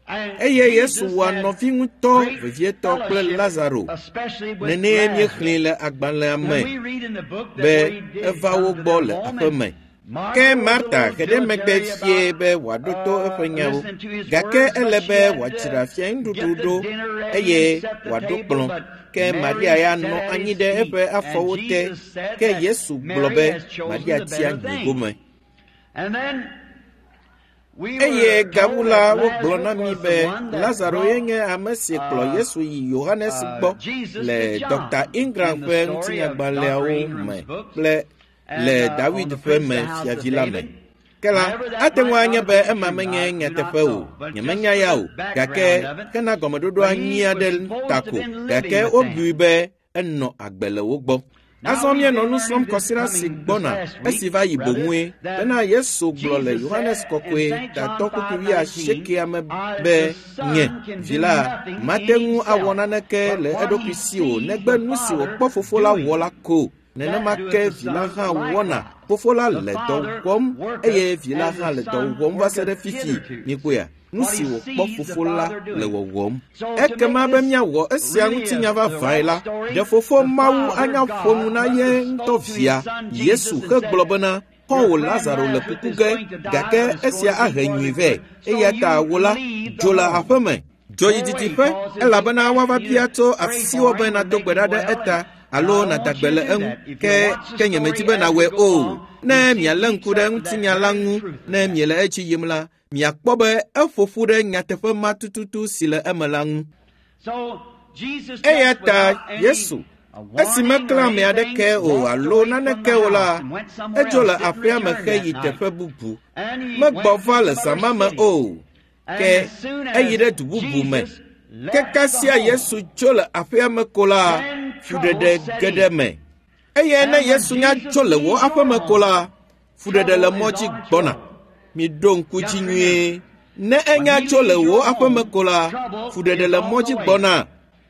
And Eye Yesu Jesus wɔa had nɔvi ŋutɔ great vevietɔ kple fellowship, Lazaro. especially with Nenee Lazarus. míexlẽe le agbalẽa And me we read in the book that be where he did eva come wo to gbɔ their le home, aƒe and me. Martha Ke was a Marta little he ɖe megbe dilatory fie about be wòaɖo to uh, eƒe nyawo. listening to his Gake words, but ele she be had to wòadzra fianuɖuɖu get the ɖo dinner ready eye and set the wòaɖo table. kplɔ̃. But Ke Mary Maria ya sat nɔ at anyi his ɖe feet, eƒe and afɔwo te. Jesus said Ke that Yesu gblɔ Mary be has chosen Maria the tia better nyui thing. gome. And then we Eye were gawu told la that wogblɔ Lazarus na mí was the be one that Lazaro ye brought nye ame si kplɔ uh, Yesu yi Yohanes uh, gbɔ Jesus le to Dɔkta John Ingram in ƒe the story of Doctor ŋutinyagbalẽawo me Ingram's books kple and le uh, on Dawid the ƒe Prince me of the House of fiavi la me. David. Ke la, However, that ate ŋu might anye not be have been ema true. menye I do not nyateƒe o. know. But just Nyemenya for ya the o. Gake background of it, hena gɔmeɖoɖo but anyi he aɖe was supposed ta to ko. have been Gake living with wobui them. be enɔ agbe le wo gbɔ. Azɔ míenɔ nu srɔ̃m kɔsiɖa si gbɔna esi va yi boŋue bena Yesu gblɔ le Yohanes Kɔkɔe tatɔ kpukpui wuiasiekɛa me be nye vi la mate ŋu awɔ naneke le eɖokui si o negbe nu si wòkpɔ fofo la wɔ la ko. Nenema ke vi la hã wɔna. Fofo la le dɔ wɔm eye vi la hã le dɔ wɔm va se ɖe fifi. Mikpɔea? Nu si wòkpɔ fofo la le wɔwɔm. Ekema be míawɔ esia ŋutinya vavãe la, ɖe fofo Mawu anya ƒo nu na ye ŋutɔ via Yesu hegblɔ bena xɔ̃wò Lazaro le kuku ge gake esia ahe nyui vɛ eya ta wò la dzo le aƒeme. Dzo yi didiƒe elabena woava bia tso asiwò be nàdo gbe ɖa ɖe eta alo nàda gbe le eŋu ke ke nyemedi be nàwɔe o. Ne mialé ŋku ɖe ŋutinya la ŋu ne miele edzi yim la, miakpɔ be eƒo ƒu ɖe nyateƒe ma tututu si le eme la ŋu. Eya ta Yesu, esi meklã ame aɖeke o alo naneke o la, edzo le aƒea me heyi teƒe bubu. Megbɔ va le zã ma me o, ke eyi ɖe du bubu me. Ke kasia Yesu tso le aƒea me ko la, fuɖeɖe ge ɖe eme. Eye ne Yesu nya tso le wò aƒeme ko la, fuɖeɖe le mɔ dzi gbɔna. Miɖo ŋku dzi nyuie. Ne enya tso le wò aƒeme ko la, fuɖeɖe le mɔ dzi gbɔna.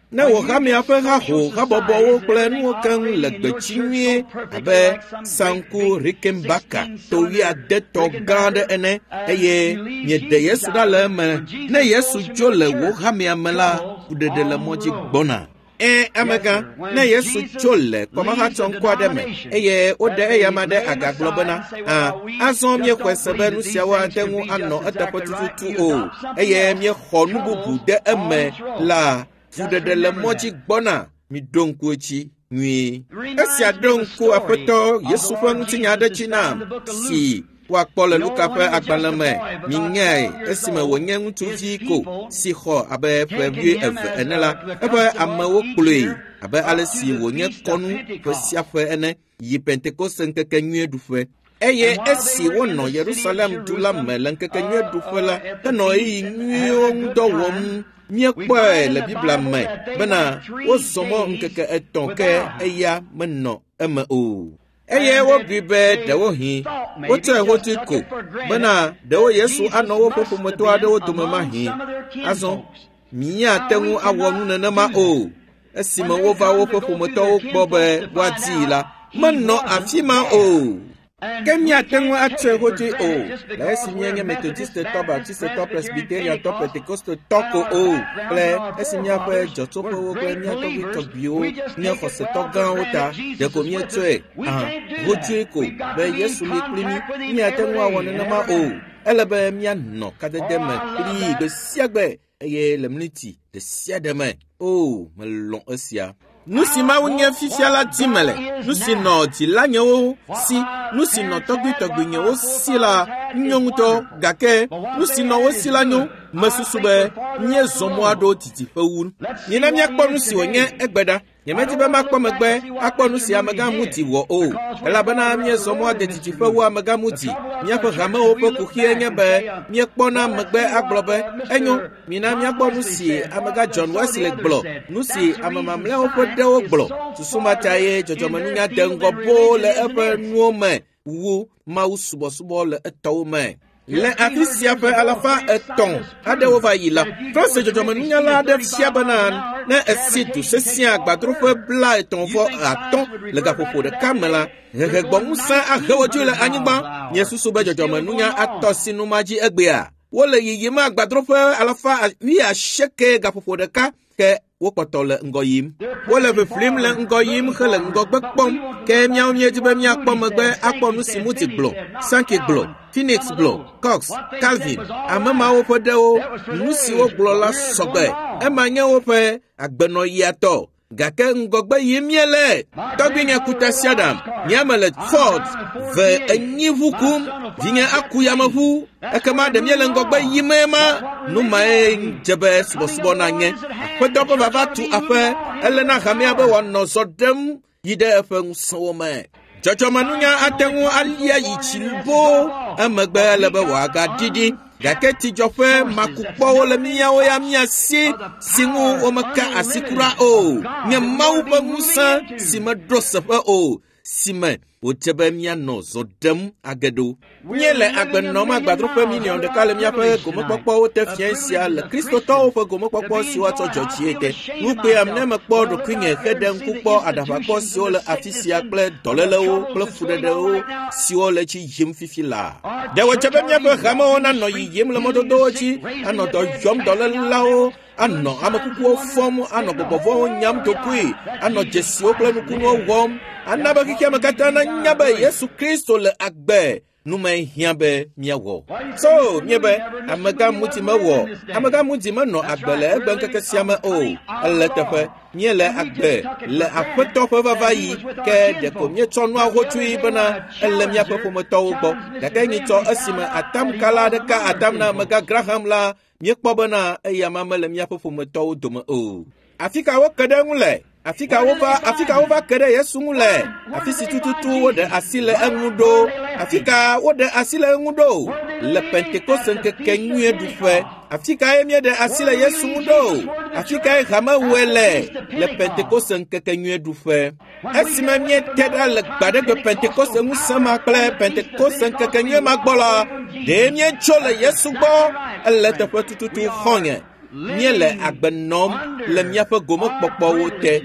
Ne wò hamea ƒe haho habɔbɔwo kple nuwo keŋ le gbedzi nyuie abe Sanku Rickenbacker to wuiadetɔ gã aɖe ene eye miede Yesu ɖa le eme. Ne Yesu tso le wò hamea me la, fuɖeɖe le mɔ dzi gbɔna. Ẽ, amegã, ne Yesu tso le kɔmahatsɔŋkɔ aɖe me eye woɖe eyama ɖe aga gblɔ bena, ã, azɔ míexɔe se be nu siawo ate ŋu anɔ eteƒe tututu o eye míexɔ nu bubu de eme la, fuɖeɖe le mɔ dzi gbɔna. Miɖo ŋku edzi nyuie. Esia ɖo ŋku Aƒetɔ Yesu ƒe ŋutinya aɖe dzi nam si woakpɔ le Luka ƒe agbalẽ me. Minyae esime wònye ŋutsuvi ko si xɔ abe ƒe wuieve ene la, eƒe amewo kplɔe abe ale si wònye kɔnu ƒe sia ƒe ene yi Pentekoste ŋkekenyui ɖuƒe. Eye esi wonɔ Yerusalem du la me le ŋkekenyui ɖuƒe la, henɔ ɣeyiɣi nyuiwo ŋu dɔ wɔm. Míekpɔe le Biblia me bena wozɔ mɔ ŋkeke etɔ̃ ke eya menɔ eme o. Eye wobui be ɖewohĩ wotsɔe hotsui ko bena ɖewo Yesu anɔ woƒe ƒometɔ aɖewo dome mahĩ. Azɔ míate ŋu awɔ nu nenema o. Esime wova woƒe ƒometɔwo gbɔ be woadii la, menɔ afi ma o. Ke míate ŋu atsɔe hotsui o le esi míenye Methodistetɔ, Baptistetɔ, Presbyteriantɔ, Pentekostetɔ ko o kple esi míaƒe dzɔtsoƒewo kple mía tɔgbuitɔgbuiwo nye xɔsetɔ gãwo ta ɖeko míetsɔe hã hotsui ko be Yesu li kpli mí. Míate ŋu awɔ nenema o. Ele be míanɔ kadede me kplii gbe sia gbe eye le mliti ɖe sia ɖe me. O, melɔ̃ esia. Nu si Mawu nye fifia la dim mele. Nu si nɔ dzilanyewo si, nu si nɔ tɔgbuitɔgbuinyewo si la nyo ŋutɔ gake nu si nɔ wo si la nyo. Mesusu be míezɔ mɔ aɖo didiƒe wu. Mina míakpɔ nu si wònye egbe ɖa. Nyemedi be makpɔ megbe akpɔ nu si amegã Moody wɔ o elabena míezɔ mɔ ade didiƒe wu amegã Moody. Míaƒe hamewo ƒe kuxie nye be míekpɔna megbe agblɔ be enyo. Mina míakpɔ nu si amegã John Wesley gblɔ, nu si ame mamlɛawo ƒe ɖewo gblɔ. Susu ma ta ye dzɔdzɔmenunya de ŋgɔ boo le eƒe nuwo me wu Mawu subɔsubɔ le etɔwo me. Le afi sia ƒe alafa etɔ̃ aɖewo va yi la, France dzɔdzɔmenunyala aɖe fia bena ne esi du sesẽ agbadroƒe blaetɔ̃ vɔ atɔ̃ le gaƒoƒo ɖeka me la, hehegbɔŋusẽ ahe wo dzoe le anyigba. Miesusu be dzɔdzɔmenunya atɔ si nu ma dzi egbea. Wole yiyim agbadroƒe alafa wuiasieke gaƒoƒo ɖeka ke wokpɔtɔ le ŋgɔ yim. Wole ʋiʋlim le ŋgɔ yim hele ŋgɔgbe kpɔm. Ke míawo míedi be míakpɔ megbe akpɔ nu si Moody gblɔ, Sankey gblɔ, Phoenix gblɔ, Cox, Calvin, ame mawo ƒe ɖewo, nu si wogblɔ la sɔgbe. Ema nye woƒe agbenɔɣia tɔ. Gake ŋgɔgbe yim míele. Tɔgbuinye ku tasiaɖam, nye ame le Ford ve enyi ʋu kum, vinye aku yameʋu. Ekema ɖe míele ŋgɔgbe yim ema? Nu mae dze be subɔsubɔ nanye. Aƒetɔ ƒe vava tu aƒe, ele na hamea be wòanɔ zɔ ɖem yi ɖe eƒe ŋusẽwo me. Dzɔdzɔmenunya ate ŋu alia yi tsi boo emegbe ele be wòagaɖiɖi. Gake tsidzɔƒe makukpɔwo le míawo ya mía si si ŋu womeka asi kura o. Nye Mawu ƒe ŋusẽ si meɖo seƒe o, si me wòdze be míanɔ zɔ ɖem age ɖo. Míele agbe nɔm agbadroƒe miliɔn ɖeka le míaƒe gomekpɔkpɔwo te fiẽ sia le Kristotɔwo ƒe gomekpɔkpɔ si woatsɔ dzɔ dzie te. Nu kpeam ne mekpɔ ɖokuinye heɖe ŋku kpɔ aɖaʋakpɔ siwo le afi sia kple dɔlélewo kple fuɖeɖewo siwo le tsi yim fifi laa. Ɖe wòdze be míaƒe hamewo nanɔ yiyim le mɔdodowo dzi, anɔ dɔ yɔm dɔlélawo, anɔ amekukuwo fɔm, anɔ gbɔgbɔvɔ̃wo nyam ɖokui, anɔ dzesiwo kple nukunuwo wɔm, ana be xexeame katã nanya be Yesu Kristo le agbe. Nu me hiã be míawɔ. So míebe amegã ŋuti mewɔ, amegã ŋuti menɔ agbe le egbe ŋkeke sia me o. Ele teƒe míele agbe le Aƒetɔ ƒe vava yi ke ɖeko míetsɔ nua hotsui bena ele míaƒe ƒometɔwo gbɔ. Gake nyitsɔ esime atamkala ɖeka atam na amegã Graham la, míekpɔ bena eya ma mele míaƒe ƒometɔwo dome o. Afi ka woke ɖe eŋu le? Afi ka wova, afi ka wova ke ɖe Yesu ŋu le? Afi si tututu woɖe asi le eŋu ɖo. Afi ka woɖe asi le eŋu ɖo? Le Pentekoste ŋkeke nyuie ɖuƒe. Afi kae míeɖe asi le Yesu ŋu ɖo? Afi kae hamewɔe le? Le Pentekoste ŋkeke nyuie ɖuƒe. Esime míete ɖa le gbaɖegbe Pentekoste ŋusẽ ma kple Pentekoste ŋkeke nyuie ma gbɔ la, ɖe míetso le Yesu gbɔ? Ele teƒe tututu xɔ̃nye. Míele agbe nɔm le míaƒe gomekpɔkpɔwo te.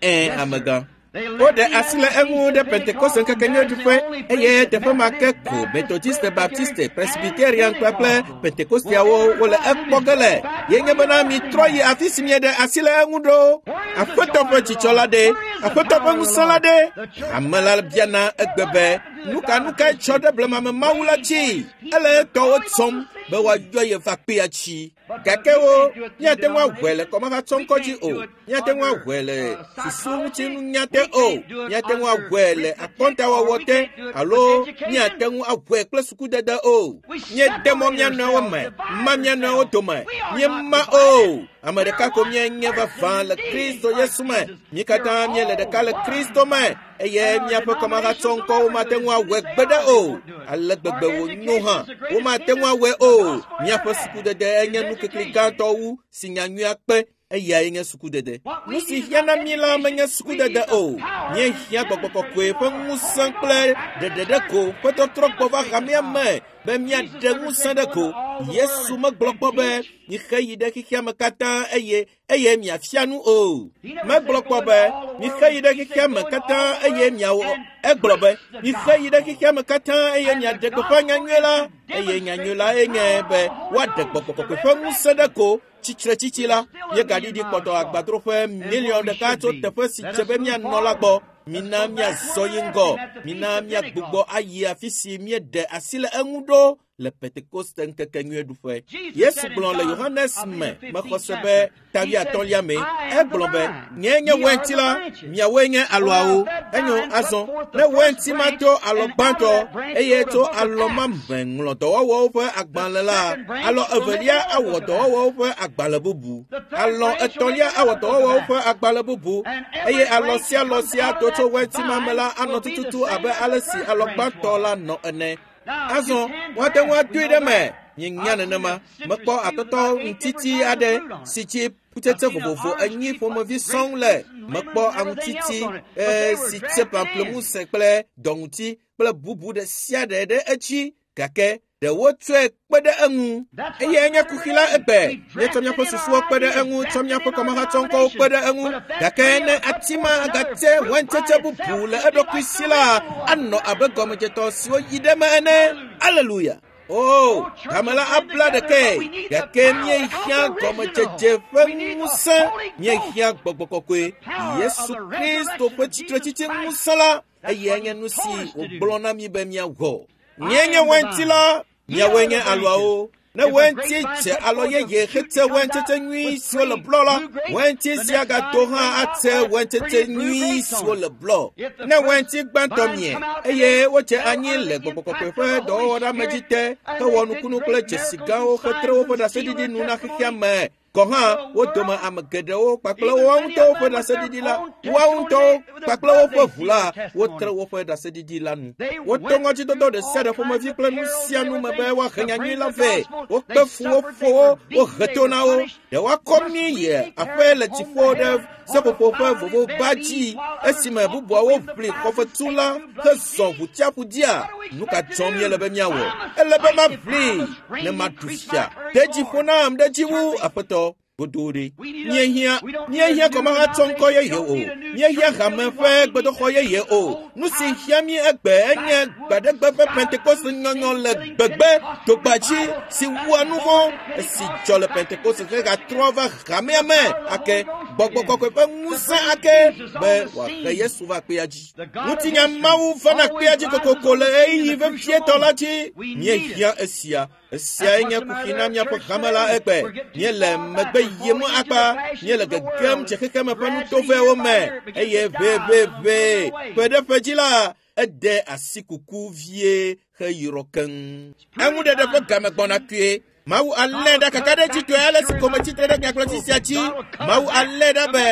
Ẽ, amegã. Woɖe asi le eŋu ɖe Pentekoste ŋkeke nyuie ɖuƒe eye teƒe ma ke ko Methodiste, Baptiste, Presbyterian kpakple Pentekosteawo wole ekpɔ ge le. Ye nye bena mitrɔ yi afi si mieɖe asi le eŋu ɖo. Aƒetɔ ƒe dzidzɔ la ɖe, Aƒetɔ ƒe ŋusẽ la ɖe. Ame la biana egbe be, nu ka nu kae tsɔ ɖe blemame Mawu la dzi? Ele etɔwo tsɔm be woayɔ ye va kpea tsi. Gake wo, míate ŋu awɔe le kɔmahatsɔŋkɔ dzi o. Míate ŋu awɔe le susu ŋutinunya te o. Míate ŋu awɔe le akɔntawɔwɔ te alo míate ŋu awɔe kple sukudede o. Míede mɔ mía nɔewo me, ma mía nɔewo dome. Míema o. Ame ɖeka ko míenye vavã le Kristo Yesu me. Mí katã míele ɖeka le Kristo me eye míaƒe kɔmahatsɔŋkɔwo mate ŋu awɔe gbeɖe o. Ale gbegbe wònyo hã, womate ŋu awɔe o. Míaƒe sukudede enye nukikli gãtɔ wu si nyanyuia kpe. Eyae nye sukudede. Nu si hiã na mí la menye sukudede o. Míehiã gbɔgbɔ kɔkɔe ƒe ŋusẽ kple ɖeɖeɖeko ƒe tɔtrɔ gbɔ va hamea me be míaɖe ŋusẽ ɖe go. Yesu megblɔ kpɔ be mixe yi ɖe xexea me katã eye eye miafia nu o. Megblɔ kpɔ be mixe yi ɖe xexea me katã eye miawɔ. Egblɔ be mixe yi ɖe xexea me katã eye miaɖe gbeƒã nyanyui la eye nyanyui la enye be woaɖe gbɔgbɔ kɔkɔe ƒe ŋusẽ ɖe go. Tsitretsitsi la, míegaɖiɖi kpɔtɔ agbadroƒe miliɔn ɖeka tso teƒe si dze be míanɔ la gbɔ. Mina míazɔ yi ŋgɔ. Mina míagbugbɔ ayi afi si míeɖe asi le eŋu ɖo le Pentekoste ŋkeke nyuie ɖuƒe. Yesu gblɔ le Yohanes me mexɔ se be ta wuiatɔ̃lia me. Egblɔ be, nye nye wainti la, miawoe nye alɔawo. Enyo azɔ, ne wainti ma to alɔ gbãtɔ eye tso alɔ ma me ŋlɔ dɔwɔwɔwo ƒe agbalẽ la, alɔ evelia awɔ dɔwɔwɔwo ƒe agbalẽ bubu. Alɔ etɔ̃lia awɔ dɔwɔwɔwo ƒe agbalẽ bubu eye alɔ sia alɔ sia to tso wainti ma me la anɔ tututu abe ale si alɔ gbãtɔ la nɔ ene. Azɔ woate ŋu adoe ɖe me. Míenya nenema. Mekpɔ atɔtɔ ŋutiti aɖe si dzi kutsetse vovovo enyi ƒomevi sɔŋ le. Mekpɔ aŋutiti e, si tse pamplemuse kple dɔŋuti kple bubu ɖe sia ɖe ɖe edzi. Gake ɖe wotsɔe kpe ɖe eŋu. Eyae nye kuxi la egbe. Míetsɔ míaƒe susuwo kpe ɖe eŋu, tsɔ míaƒe kɔmahatsɔŋkɔwo kpe ɖe eŋu. Gake ne ati ma agatse waintsetse bubu le eɖokui si la, anɔ abe gɔmedzetɔ siwo yi ɖe eme ene. Aleluya. O, hame la abla ɖekae. Gake míehiã gɔmedzedze ƒe ŋusẽ. Míehiã gbɔgbɔ kɔkɔe. Yesu Kristo ƒe tsitretsitsi ŋusẽ la, eyae nye nu si wògblɔ na mí be míawɔ. Míenye wainti la, miawoe nye alɔawo. Ne wainti dze alɔ yeye hetse waintsetse nyui siwo le blɔ la, wainti sia gato hã atse waintsetse nyui siwo le blɔ. Ne wainti gbãtɔ mie eye wotse anyi le gbɔgbɔ kɔkɔe ƒe dɔwɔwɔɖeamedzi te hewɔ nukunu kple dzesi gãwo hetre woƒe ɖaseɖiɖi nu na xexea me Gɔ̃ hã wo dome ame geɖewo kpakple woawo ŋutɔwo ƒe ɖaseɖiɖi la, woawo ŋutɔwo kpakple woƒe ʋu la, wotre woƒe ɖaseɖiɖi la nu. Woto ŋɔdzidodo ɖe sia ɖe ƒomevi kple nu sia nu me be woahe nyanyui la vɛ. Wokpe fu wo ƒo wo, wohe to na wo. Ɖe woakɔ mí yi aƒe le dziƒo ɖe seƒoƒo ƒe vovoba dzi esime bubuawo ʋli xɔfetu la hezɔ ʋutiaƒu dzia? Nu ka dzɔm míele be míawɔ? Ele be maʋli ne maɖu fia. De dzi ƒo nam ɖe dzi wu Aƒetɔ. Godoo ɖe. Míehiã míehiã gɔmehatsɔ ŋkɔ yeye o. Míehiã hame ƒe gbedoxɔ yeye o. Nu si hiã mí egbe enye gbaɖegbe ƒe Pentekoste nyɔnyɔ le gbegbe dogbadzi si wua nu vɔ̃ esi dzɔ le Pentekoste hegatrɔ va hamea me ake gbɔgbɔ kɔkɔe ƒe ŋusẽ ake be wòahe Yesu va kpea dzi. Ŋutinya Mawu vana kpea dzi kokoko le ɣeyiɣi vevietɔ la dzi. Míehiã esia. Esiae nye kuxi na míaƒe hame la egbe. Míele megbe yim akpa, míele gegem dze xexeme ƒe nutovɛwo me eye ʋeʋeʋe ƒe ɖe ƒe dzi la, ede asi kuku vie heyrɔ keŋ. Eŋuɖeɖe ƒe game gbɔna kpuie. Mawu alé ɖa kakaɖedzitɔe ale si ko metsitre ɖe nyagblɔɖi sia dzi. Mawu alé ɖa be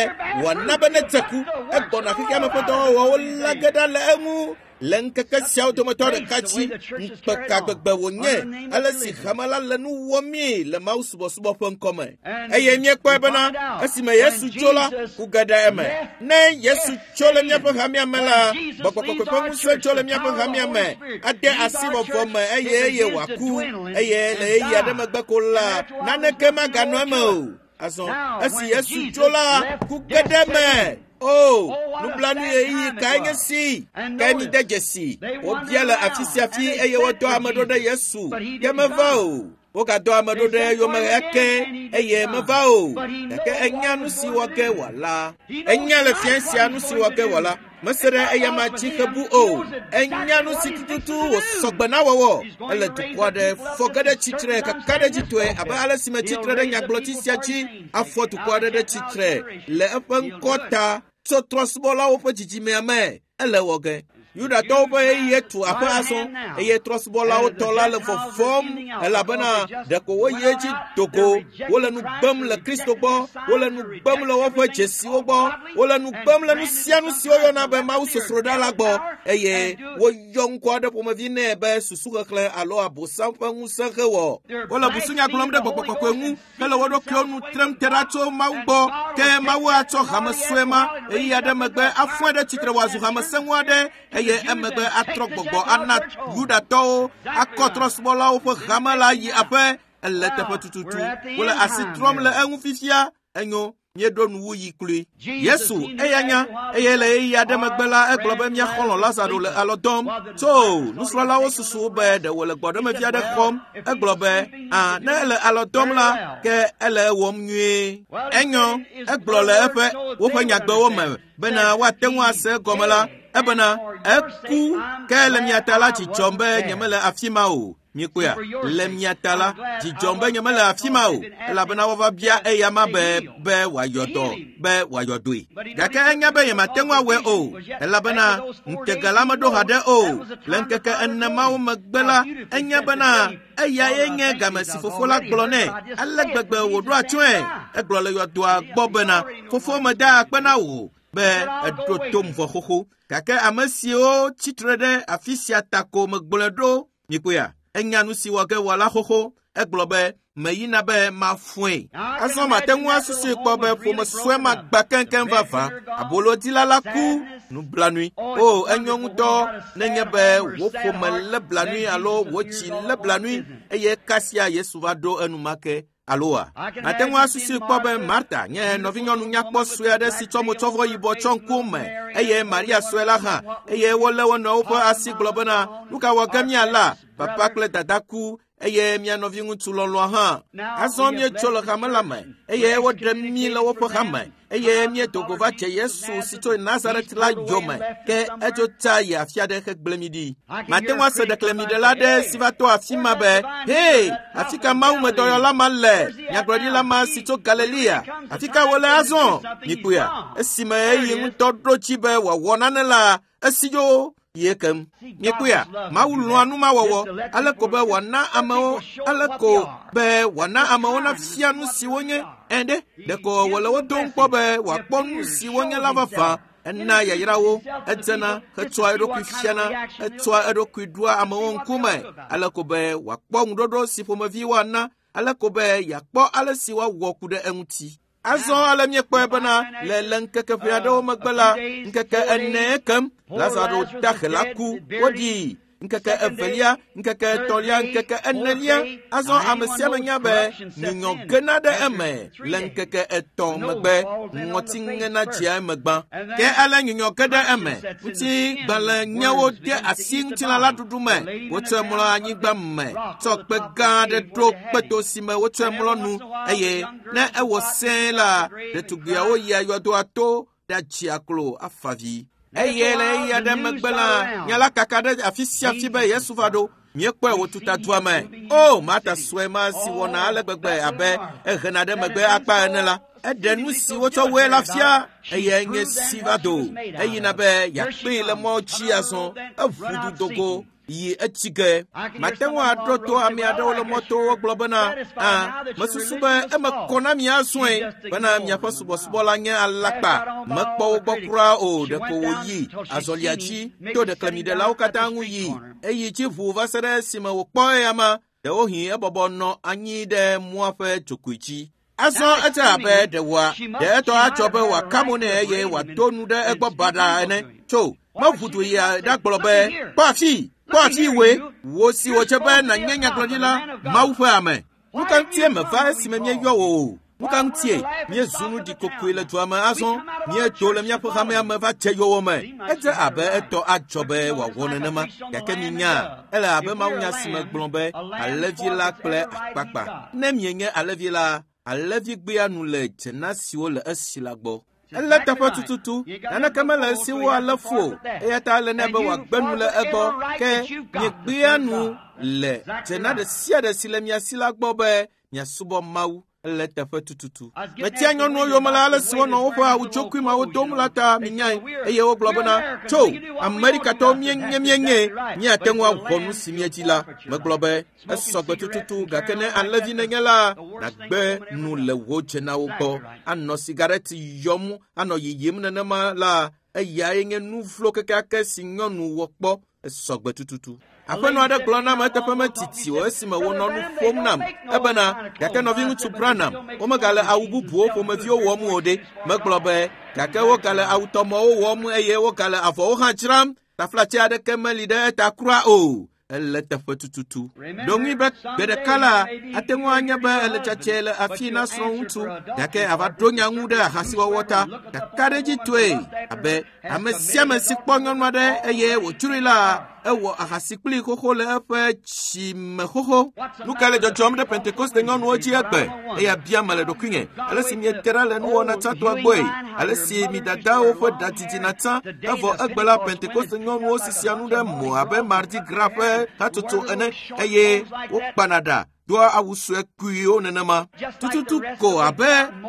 wòana be nedze ku. Egbɔna xexeame ƒe dɔwɔwɔwo la ge ɖa le eŋu. Le ŋkeke siawo dometɔ ɖeka dzi, ŋukpe ka gbegbe wònye ale si hame la le nu wɔmii le Mawu subɔsubɔ ƒe ŋkɔme. Eye míekpɔe bena esime Yesu tso la, ku ge ɖe eme. Ne Yesu tso le míaƒe hamea me la, gbɔgbɔ kɔkɔe ƒe ŋusẽ tso le míaƒe hamea me, ade asi vɔvɔ me eye eye wòaku. Eye le ɣeyiɣi aɖe megbe ko la, naneke maganɔ eme o. Azɔ esi Yesu tso la, ku ge ɖe eme. O, nublanui ɣeyiɣi kae nye si? Ke míde dzesi. Wobia le afi sia afi eye wodɔ ame ɖo ɖe Yesu. Ke meva o. Wogadɔ ame ɖo ɖe eyome ake eye meva o. Gake enya nu si wɔ ge wòala. Enya le fia sia nu si wɔ ge wòala. Mese ɖe eyama dzi hebu o. Enya nu si tututu wòsɔ gbe na wɔwɔ. Ele dukɔ aɖe fɔ ge ɖe tsitre kakaɖedzitɔe abe ale si metsitre ɖe nyagblɔɖi sia dzi afɔ dukɔ aɖe ɖe tsitre le eƒe ŋkɔ ta tso trɔ̃subɔlawo ƒe dzidzimea me. Ele wɔ ge. Yudatɔwo ƒe ɣeyiɣi tu aƒe azɔ eye trɔ̃subɔlawo tɔ la le vɔvɔm elabena ɖeko woyi edzi do go. Wole nu gbem le Kristo gbɔ, wole nu gbem le woƒe dzesiwo gbɔ, wole nu gbem le nu sia nu si woyɔna be Mawu sosroɖa la gbɔ eye woyɔ ŋkɔ aɖe ƒomevi nɛ be susuxexlẽ alo abosam ƒe ŋusẽ hewɔ. Wole busunya gblɔm ɖe gbɔgbɔ kɔkɔe ŋu hele wo ɖokuiwo nu trem te ɖa tso Mawu gbɔ. Ke Mawu atsɔ hame sue ma ɣeyiɣi aɖe megbe afɔe ɖe tsitre wòazu hame sẽŋu aɖe eye emegbe atrɔ gbɔgbɔ ana Yudatɔwo akɔ trɔ̃subɔlawo ƒe hame la yi aƒe. Ele teƒe tututu. Wole asi trɔm le eŋu fifia. Enyo, míeɖo nuwuɣi kloe. Yesu eya nya eye le ɣeyiɣi aɖe megbe la egblɔ be mía xɔlɔ̃ Lazaro le alɔ dɔm. Tso nusrɔ̃lawo susu be ɖe wòle gbɔɖemevi aɖe xɔm. Egblɔ be, "Ã, ne ele alɔ dɔm la, ke ele ewɔm nyuie." Enyo, egblɔ le eƒe woƒe nyagbewo me bena woate ŋu ase egɔme la, ebena eku ke le mia ta la dzidzɔm be nyemele afi ma o. Míekpɔea? Le mia ta la, dzidzɔm be nyemele afi ma o, elabena woava bia eyama be be wòayɔ dɔ, be wòayɔ dɔe. Gake enya be nyemate ŋu awɔe o, elabena ŋutega la meɖo haɖe o. Le ŋkeke ene mawo megbe la, enya bena eyae nye game si fofo la gblɔ nɛ. Ale gbegbe wòɖo atsyɔ̃e. Egblɔ le yɔdoa gbɔ bena, fofo meda akpe na wò be eɖo tom vɔ xoxo. Gake ame siwo tsitre ɖe afi sia ta ko megblɔe ɖo. Míekpɔea? Enya nu si wɔ ge wòala xoxo. Egblɔ be, meyina be mafɔe. Azɔ mate ŋu asusui kpɔ be ƒome sue ma gbã keŋkeŋ vavã. Abolodila la ku nublanui. O, enyo ŋutɔ nenye be wò ƒome lé blanui alo wò dzi lé blanui eye kasia Yesu va ɖo enumake. Aloa? Mate ŋu asusui kpɔ be Marta nye nɔvinyɔnu nyakpɔ sue aɖe si tsɔ motsɔvɔ yibɔ tsɔ ŋkume eye Maria sue la hã eye wolé wo nɔewo ƒe asi gblɔ bena, nu ka wɔ ge míala? Papa kple dada ku eye mía nɔviŋutsu lɔlɔ̃a hã. Azɔ míetso le hame la me eye woɖe mí le woƒe hame eye míedo go va dze Yesu si tso Nazaret la yome ke etso tsa yi afi aɖe hegblẽ mí ɖi. Mate ŋu ase ɖeklemiɖela aɖe si va to afi ma be, "Hee, afi ka mawumedɔyɔla ma le? Nyagblɔɖila ma si tso Galilea. Afi ka wòle azɔ?" Míkpɔea? Esime eyi ŋutɔ ɖo dzi be wòawɔ nane la, esi dzo. Ye kem. Miekpɔea, Mawu lɔ̃a numawɔwɔ ale ko be wòana amewo ale ko be wòana amewo nafia nu si wonye ene. Ɖeko wòle wo dom kpɔ be wòakpɔ nu si wonye la vavã. Ena yayrawo, edzena hetsɔa eɖokui fiana, etsɔa eɖokui ɖoa amewo ŋkume ale ko be wòakpɔ ŋuɖoɖo si ƒomevi woana, ale ko be yeakpɔ ale si woawɔ ku ɖe eŋuti. Azɔ ale míekpɔe bena le le ŋkeke ƒe aɖewo megbe la, ŋkeke ene kem, Lazaro dahe la ku, woɖii. Ŋkeke evelia, ŋkeke etɔ̃lia, ŋkeke enelia. Azɔ ame sia ame nya be nyunyɔ gena ɖe eme le ŋkeke etɔ̃ megbe, ŋɔti ŋena dzea eme gbã. Ke ale nyunyɔ ge ɖe eme, ŋutigbalẽnyawo de asi ŋutilã la ɖuɖu me, wotsɔe mlɔ anyigba me, tsɔ kpe gã aɖe ɖo kpeto si me wotsɔe mlɔ nu, eye ne ewɔ sẽe la, ɖetugbiawo yia yɔdoa to ɖatsia klo afa vi. Eye le ɣeyiɣi aɖe megbe la, nya la kaka ɖe afi sia afi be Yesu va ɖo. Míekpɔe wòtuta dua me. O, Marta sue ma si wɔna ale gbegbe abe ehena ɖe megbe akpa ene la, eɖe nu si wotsɔ wɔe la fia, eye nye si va do. Eyina be yeakpee le mɔ dzi azɔ, eʋu du dogo yi etsi ge. Mate ŋu aɖo to ame aɖewo le mɔto wogblɔ bena, a, mesusu be eme kɔ na mi azɔe bena miaƒe subɔsubɔ la nye alakpa. Mekpɔ wo gbɔ kura o, ɖeko wòyi azɔlia dzi to ɖeklemiɖelawo katã ŋu yi. Eyi dzi ʋu va se ɖe esime wòkpɔ eyama. Ɖewohĩ ebɔbɔ nɔ anyi ɖe mɔa ƒe dzogoe dzi. Azɔ edze abe ɖe wòa, ɖe etɔ atsɔ be wòaka mo nɛ eye wòado nu ɖe egbɔ baɖa ene. Tso, meʋu du yia ɖagblɔ be, kpɔ afi, kpɔ afi woe, wò si wòdze be nànye nyagblɔɖila, Mawu ƒe ame. Nu ka ŋutie meva esime míeyɔ wò o? Nu ka ŋutie míezu nu ɖikokoe le dua me azɔ? Míedo le míaƒe hamea me va dze yowòme. Edze abe etɔ adzɔ be wòawɔ nenema, gake minya, ele abe mawunya si me gblɔ be alẽvi la kple akpakpa. Ne mienye alẽvi la, alẽvi gbea nu le dzena siwo le esi la gbɔ. Ele teƒe tututu, naneke mele esi wo alé fu o, eya ta ele nɛ be wòagbe nu le egbɔ. Ke miegbea nu le dzena ɖe sia ɖe si le mia si la gbɔ be miasubɔ Mawu. Ele teƒe tututu. Metia nyɔnuwo yome le ale si wonɔ woƒe awutsokui mawo dom la ta minyae, eye wogblɔ bena, tso, Amerikatɔwo míenye míenye, míate ŋu awɔ nu si míedzi la. Megblɔ be, esɔgbe tututu, gake ne alẽvi nenye la, nàgbe nu le wò dzenawo gbɔ. Anɔ sigareti yɔm, anɔ yiyim nenema la, eyae nye nu vlo kekeake si nyɔnu wɔ kpɔ. Esɔgbe tututu. Aƒenɔ aɖe gblɔ nam eteƒe metiti o esime wonɔ nu ƒom nam ebena, gake nɔviŋutsu Branham, womegale awu bubuwo ƒomeviwo wɔm o ɖe. Megblɔ be, gake wogale awutɔmɔwo wɔm eye wogale avɔwo hã dzram. Taflatse aɖeke meli ɖe eta kura o. Ele teƒe tututu. Ɖo ŋui be gbe ɖeka la, ate ŋu anye be ele tsatsɛ le afi na srɔ̃ŋutsu, gake ava ɖo nya ŋu ɖe ahasiwɔwɔ ta. Kakaɖedzitɔe abe ame sia ame si kpɔ nyɔnu aɖe eye wòdzroe la, ewɔ ahasi kpli xoxo le eƒe tsime xoxo. Nu ka le dzɔdzɔm ɖe Pentekoste nyɔnuwo dzi egbe? Eya biam le ɖokuinye. Ale si miete ɖa le nuwɔna tsãtɔa gbɔe, ale si mi dadawo ƒe ɖa didina tsã, evɔ egbe la Pentekoste nyɔnuwo sisia nu ɖe mo abe Mardi Gras ƒe hatsotso ene, eye wokpana ɖa doa awu sue kuiwo nenema. Tututu ko abe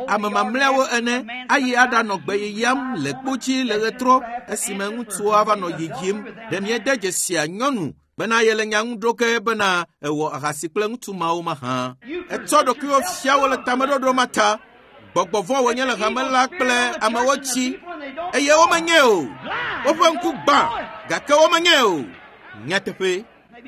ame mamlɛawo ene, ayi aɖanɔ gbe yiyam le kpo dzi le ɣetrɔ esime ŋutsua va nɔ yiyim. Ɖe miede dzesia nyɔnu bena yele nya ŋu ɖo ke bena ewɔ ahasi kple ŋutsu mawo mahã. Etsɔ ɖokuiwo fia wo le tameɖoɖo ma ta. Gbɔgbɔ vɔ̃ wònye le hame la kple amewo dzi, eye womenye o. Woƒe ŋku gbã, gake womenye o. Nyateƒe.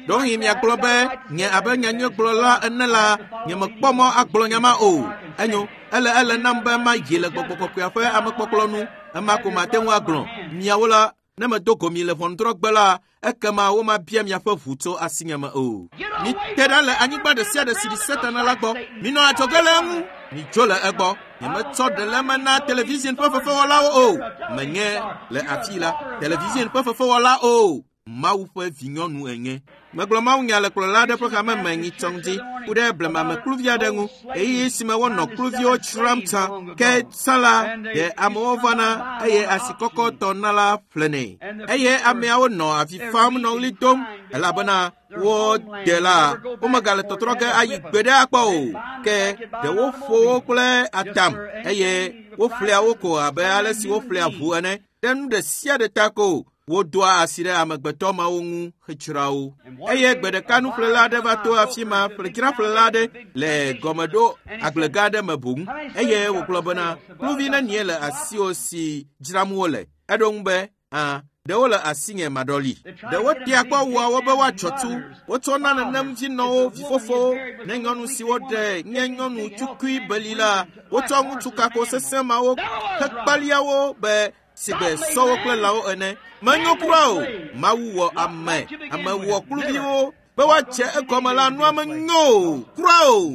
Ɖewohĩ miagblɔ be nye abe nyanyuigblɔla ene la, nyemekpɔ mɔ agblɔ nya ma o. Enyo, ele ele nam be mayi le gbɔgbɔ kɔkɔea ƒe amekpɔkplɔ nu. Ema ko mate ŋu agblɔ. Miawo la, ne medo go mi le ʋɔnudrɔ̃gbe la, ekema womabia miaƒe ʋu tso asinye me o. Mite ɖa le anyigba ɖe sia ɖe si ɖi Satana la gbɔ. Minɔ adzɔge le eŋu. Midzo le egbɔ. Nyemetsɔ ɖe le eme na television ƒe fefewɔlawo o. Menye le afi la television ƒe fefewɔla o. Mawu ƒe vinyɔnu enye. Megblɔ mawunya le kplɔla aɖe ƒe hame me nyitsɔ ŋdi ku ɖe blemamekluvi aɖe ŋu. Ɣeyiɣi si me wonɔ kluviwo dzram tsã, ke tsã la, ɖe amewo vana eye asikɔkɔtɔ na la ƒlenɛ. Eye ameawo nɔ avi fam nɔ ɣli dom elabena wo de la, womegale tɔtrɔ ge ayi gbe ɖe akpɔ o. Ke ɖe woƒo wo kple atam eye woƒlea wo ko abe ale si woƒlea ʋu ene. Ɖe nu ɖe sia ɖe ta ko. Wodoa asi ɖe amegbetɔ mawo ŋu hetsra wo. Eye gbe ɖeka nuƒlela aɖe va to afi ma, ƒledzraƒlela aɖe le gɔmeɖo agblegã aɖe me boŋ. Eye wògblɔ bena, kluvi nenie le asiwò si dzram wole? Eɖo ŋu be, ã, ɖewo le asinye maɖɔli. Ɖewo tea kpɔ wua wo be woatsɔ tu. Wotsɔna nenem vinɔwo, vifofowo, ne nyɔnu siwo ɖe nye nyɔnu tukui beli la, wotsɔ ŋutsu kako sesẽ mawo hekpaliawo be sigbe sɔwo kple lãwo ene. Menyo kura o. Mawu wɔ ame, ame wɔ kluviwo be woatse egɔme la nua menyo o kura o.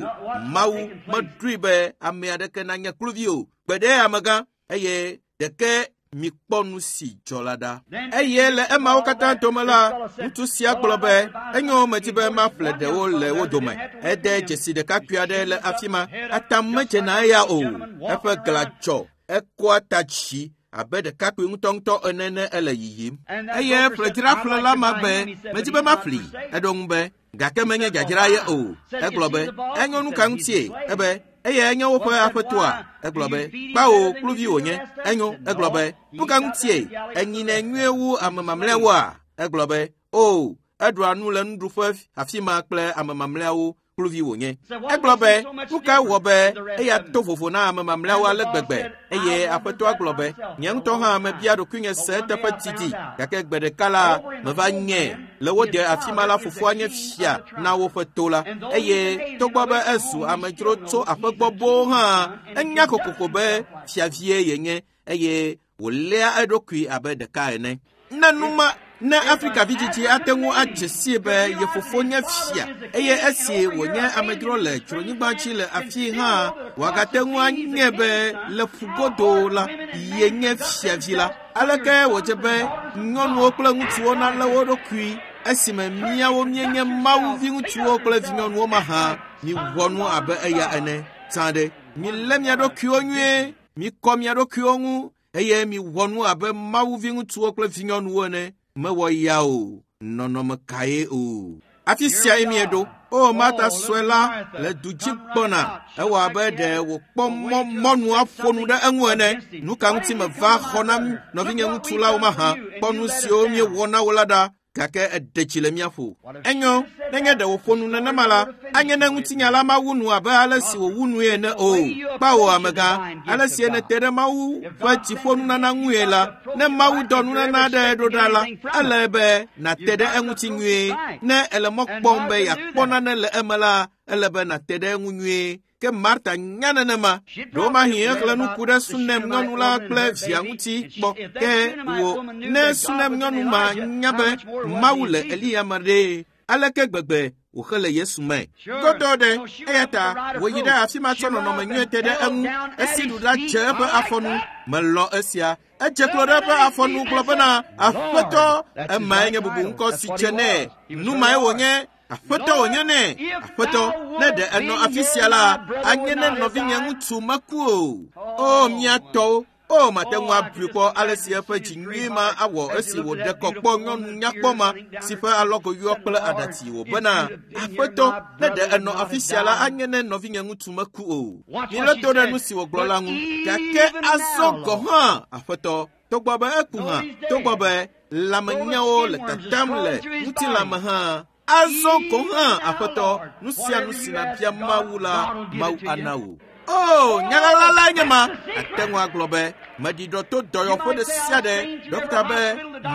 Mawu meɖoe be ame aɖeke nanye kluvi o. Gbe ɖe amegã eye ɖeke mikpɔ nu si dzɔ la ɖa. Eye le emawo katã dome la, ŋutsu sia gblɔ be enyo medi be maƒle ɖewo le wo dome. Ede dzesi ɖekakpui aɖe le afi ma. Atam medzena eya o. Eƒe glã dzɔ. Ekɔa ta dzi abe ɖekakpui ŋutɔŋutɔ ene ne ele yiyim. Eye ƒledzraƒlela ma be medi be maƒli. Eɖo ŋu be gake menye dzadzra ye o. Egblɔ be enyo nu ka ŋutie? Ebe eye enye woƒe aƒetɔa? Egblɔ be kpawo kluvi wònye. Enyo. Egblɔ be nu ka ŋutie? Enyinɛ nyuie wu ame mamlɛawoa? Egblɔ be o, eɖua nu le nuɖuƒe afi ma kple ame mamlɛawo kluvi wònye. Egblɔ be nu ka wɔ be eya to vovo na ame mamlɛawo ale gbegbe? Eye aƒetɔa gblɔ be nye ŋutɔ hã mebia ɖokuinye se eteƒe didi gake gbe ɖeka la meva nye le wo de afi ma la fofoa nye fia na woƒe to la. Eye togbɔ be ezu amedzro tso aƒe gbɔ boo hã, enya kokoko be fiavie yenye eye wòléa eɖokui abe ɖeka ene. Ne numa ne Afrika vidzidzi ate ŋu adze sii be ye fofo nye fia eye esi wònye amedzro le dzronyigba dzi le afi hã, wòagate ŋu anye be le ƒugodo la yenye fiavi la. Aleke wòdze be nyɔnuwo kple ŋutsuwo nalé wo ɖokui esime míawo míenye Mawu viŋutsuwo kple vinyɔnuwo mahã? Miwɔ nu abe eya ene. Tsã ɖe, milé mia ɖokuiwo nyuie, mikɔ mia ɖokuiwo ŋu eye miwɔ nu abe Mawu viŋutsuwo kple vinyɔnuwo ene. Mewɔ ya o, nɔnɔme kae o. Afi siae mieɖo. O, Marta sue la le du dzi gbɔna. Ewɔ abe ɖe wòkpɔ mɔ mɔnu aƒo nu ɖe eŋu ene. Nu ka ŋuti meva xɔ na nɔvinye ŋutsu la wo mahã? Kpɔ nu siwo míewɔ na wo la ɖa. Gake eɖe tsi le mía ƒo. Enyo, nenye ɖe wòƒo nu nenema la, anye ne ŋutinya la mawu nu abe ale si wòwu nue ene o. Kpawo amegã, ale si nète ɖe Mawu ƒe dziƒonunana ŋue la, ne Mawu dɔ nunana aɖe ɖo ɖa la, ele be nàte ɖe eŋuti nyuie. Ne ele mɔ kpɔm be yeakpɔ nane le eme la, ele be nàte ɖe eŋu nyuie. Ke Marta nya nenema. Ɖewomahi exlẽ nu ku ɖe Sunem nyɔnu la kple via ŋuti kpɔ. Ke wò ne Sunem nyɔnu ma nya be Mawu le Eliya me ɖe, aleke gbegbe wòxe le Yesu me? Godoo ɖe, eya ta wòyi ɖe afi ma tsɔ nɔnɔme nyuie te ɖe eŋu. Esi ɖu la dze eƒe afɔnu. Melɔ esia. Edze klo ɖe eƒe afɔnu gblɔ bena, Aƒetɔ, emae nye bubuŋkɔ si dze nɛ. Nu mae wònye. Aƒetɔ wònye nɛ. Aƒetɔ, ne ɖe enɔ afi sia la, anye ne nɔvinye ŋutsu meku o. O, mía tɔwo. O, mate ŋu abui kpɔ ale si eƒe dzi nyui ma awɔ esi wòɖe kɔ kpɔ nyɔnu nyakpɔ ma si ƒe alɔgo yɔ kple aɖatsi wòbena, Aƒetɔ, ne ɖe enɔ afi sia la, anye ne nɔvinye ŋutsu meku o. Milé to ɖe nu si wògblɔ la ŋu. Gake azɔ gɔ̃ hã, Aƒetɔ, togbɔ be eku hã, togbɔ be lãmenyawo le tatam le ŋutilãme hã, azɔ gɔ̃ hã, Aƒetɔ, nu sia nu si nàbia Mawu la, Mawu ana wò. O, nyaɣaɣla lae nye ma. Ate ŋu agblɔ be meɖiɖɔ to dɔyɔƒe ɖe sia ɖe. Ɖɔkita be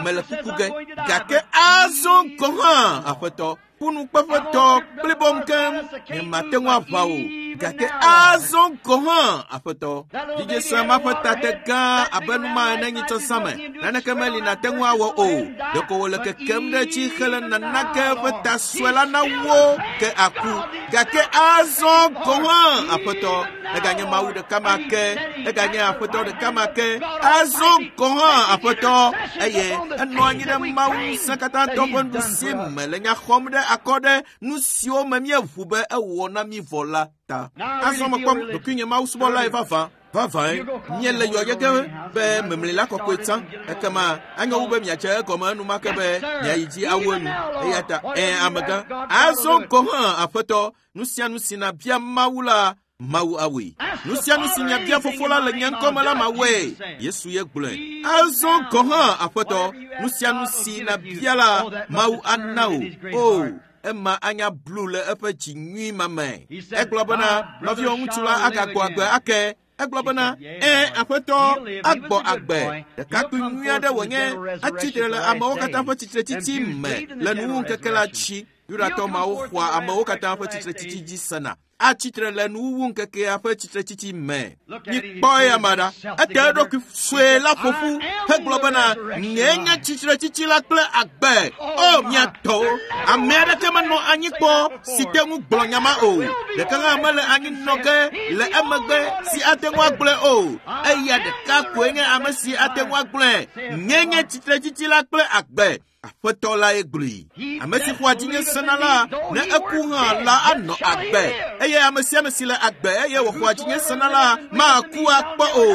mele kuku ge. Gake azɔ gɔ̃ hã, Aƒetɔ, ƒunukpeƒetɔ blibom keŋ, nyemate ŋu aʋa o. Gake azɔ gɔ̃ hã, Aƒetɔ, vidzĩ sue ma ƒe tate gã abe nu ma ene nyitsɔ zã me. Naneke meli nàte ŋu awɔ o. Ɖeko wòle kekem ɖe edzi hele nana ke eƒe ta sue la nawo ke aku. Gake azɔ gɔ̃ hã, Aƒetɔ, eganye Mawu ɖeka ma ke, eganye Aƒetɔ ɖeka ma ke. Azɔ gɔ̃ hã, Aƒetɔ, eye enɔ anyi ɖe Mawu ŋusẽkatãtɔ ƒe nuɖusi me le nya xɔm ɖe akɔ ɖe nu siwo me míeʋu be ewɔ na mí vɔ la ta. Azɔ mekpɔ ɖokuinye Mawu subɔlae vavã. Vavãe, míele yɔyɔ ge be memlila kɔkɔe tsã. Ekema anyo wu be miadze egɔme enumake be miayi dzi awu enu. Eya ta, ẽ amegã, azɔ gɔ̃ hã, Aƒetɔ, nu sia nu si nàbia Mawu la, Mawu awɔe. Nu sia nu si miabia fofo la le nye ŋkɔme la mawɔe. Yesu ye gblɔe. Azɔ gɔ̃ hã, Aƒetɔ, nu sia nu si nabia la, Mawu ana wò. O, ema anya blu le eƒe dzi nyui ma me. Egblɔ bena, nɔviwò ŋutsu la agagbɔ agbe ake. Egblɔ bena, ẽ, Aƒetɔ, agbɔ agbe. Ɖekakpui nyui aɖe wònye, atsi tre le amewo katã ƒe tsitretsitsi me le nuwuŋkeke la dzi. Yudatɔ mawo xɔa amewo katã ƒe tsitretsitsi dzi sena. Atsi tre le nuwuwuŋkekea ƒe tsitretsitsi me. Mikpɔ eya ma ɖa. Ete eɖokui sue la ƒo ƒu hegblɔ bena, nyee nye tsitretsitsi la kple agbe. O, mia tɔwo, ame aɖeke menɔ anyi kpɔ si te ŋu gblɔ nya ma o. Ɖeka hã mele anyi nɔ ge le emegbe si ate ŋu agblɔe o. Eya ɖeka koe nye ame si ate ŋu agblɔe. Nyee nye tsitretsitsi la kple agbe. Aƒetɔ lae gblɔe. Ame si xɔa dzinye sena la, ne eku hã la anɔ agbe. Eye ame sia ame si le agbe eye wòxɔa dzinye sena la, maku akpɔ o.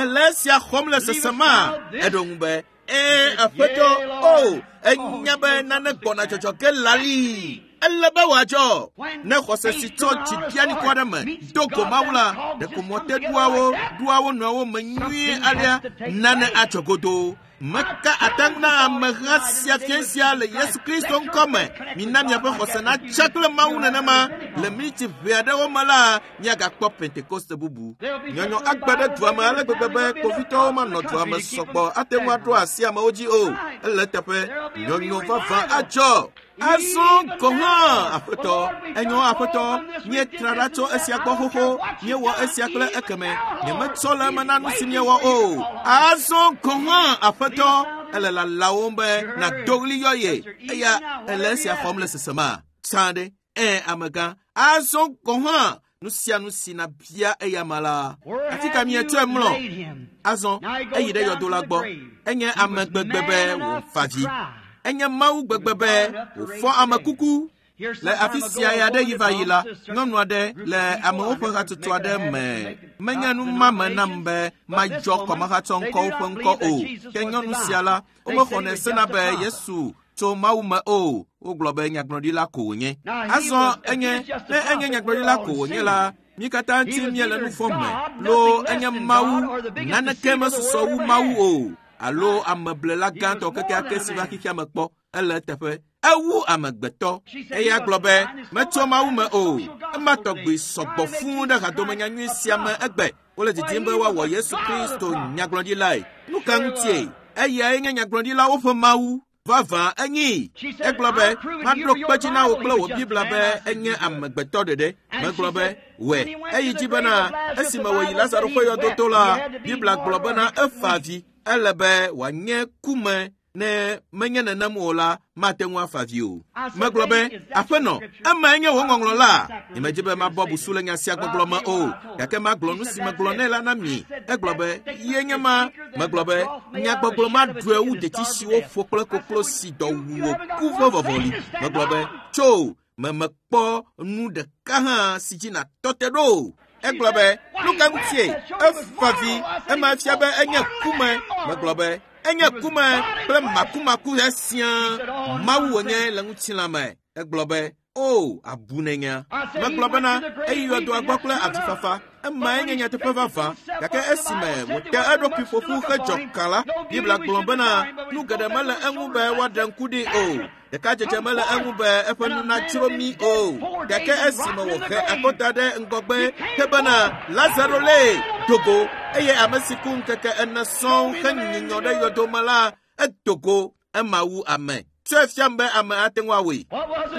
Ele esia xɔm le sesema. Eɖo ŋu be, ẽ, Aƒetɔ, o, enya be nane gbɔna dzɔdzɔ ge lali. Ele be wòadzɔ. Ne xɔse si tso dzi ɖianikɔ aɖe me do go Mawu la, ɖeko mɔte ɖuawo ɖua wo nɔewo me nyuie alea, nane adzɔ godoo. Meka atam na ameha sia fia sia le Yesu Kristo ŋkɔme. Mina miaƒe xɔse natsa kple Mawu nenema. Le miniti ʋɛ aɖewo me la, miagakpɔ Pentekoste bubu. Nyɔnyɔ agbe ɖe dua me ale gbegbe be kpovitɔwo manɔ dua me sɔgbɔ ate ŋu aɖo asi amewo dzi o. Ele teƒe, nyɔnyɔ vavã adzɔ. Azɔ gɔ̃ hã, Aƒetɔ, enyo Aƒetɔ, míetra ɖa tso esia gbɔ xoxo, míewɔ esia kple ekeme, nyemetsɔ le eme na nu si míewɔ o. Azɔ gɔ̃ hã, Aƒetɔ, ele lalawom be nàdo ɣli yɔ ye, eya ele esia xɔm le sesema. Tsã ɖe, ẽ, amegã, azɔ gɔ̃ hã, nu sia nu si nabia eya ma la, afi ka mietsɔe mlɔ? Azɔ eyi ɖe yɔdo la gbɔ. Enye ame gbegbe be wòfa vi. Enye Mawu gbegbe be wòfɔ ame kuku. Le afi sia ya ɖe yi va yi la, nyɔnu aɖe le amewo ƒe hatsotso aɖe me. Menye nu ma me nam be madzɔ kɔmehatsɔ ŋkɔwo ƒe ŋkɔ o. Ke nyɔnu sia la, womexɔnɛ sena be Yesu tso Mawu me o. Wogblɔ be nyagblɔɖila ko wònye. Azɔ enye, ne enye nyagblɔɖila ko wònye la, mí katã ŋuti míele nu vɔ̃ me. Loo enye Mawu, naneke mesusɔ wu Mawu o. Alo ameblela gãtɔ kekeake si va xexea me kpɔ. Ele teƒe. Ewu amegbetɔ. Eya gblɔ be, metso Mawu me o. Ema tɔgbi sɔgbɔ fũu ɖe hadomenyanyui sia me egbe. Wole didim be woawɔ Yesu Kristo nyagblɔɖilae. Nu ka ŋutie? Eyae nye nyagblɔɖilawo ƒe Mawu. Vavã enyi. Egblɔ be, maɖo kpe dzi na wò kple wò Biblia be enye amegbetɔ ɖeɖe. Megblɔ be, wɛ. Eyi dzi bena, esime wòyi Lazaro ƒe yɔdoto la, Biblia gblɔ bena efa avi. Ele be wòanye kume. Ne menye nenem o la, mate ŋu afa vi o. Megblɔ be, Aƒenɔ, emae nye wò ŋɔŋlɔ la. Nyemedi be mabɔ busu le nya sia gbɔgblɔ me o, gake magblɔ nu si megblɔ nɛ la na mi. Egblɔ be, ye nye ma. Megblɔ be, nyagbɔgblɔ ma ɖɔe wu detsi si woƒo kple koklo si dɔ wu wòku ƒe vɔvɔli. Megblɔ be, tso, memekpɔ nu ɖeka hã si dzi nàtɔ te ɖo. Egblɔ be, nu ka ŋutie? Efa vi, ema fia be enye kume. Megblɔ be, enye kume kple makumaku sia Mawu wònye le ŋutilã me. Egblɔ be, o, abu nenya. Megblɔ bena, eyi yɔdoa gbɔ kple avifafa. Emae nye nyateƒe vavã. Gake esime wòte eɖokui ƒoƒu hedzɔ kã la, Biblia gblɔ bena, nu geɖe mele eŋu be woaɖe ŋku ɖi o. Ɖekadzedze mele eŋu be eƒe nu nadzro mí o. Gake esime wòhe akɔta ɖe ŋgɔgbe he bena, Lazaro lée do go, eye ame si ku ŋkeke ene sɔŋ henyinyɔ ɖe yɔdo me la, edo go, ema wu ame. Tsɔe fiam be ame ate ŋu awɔe.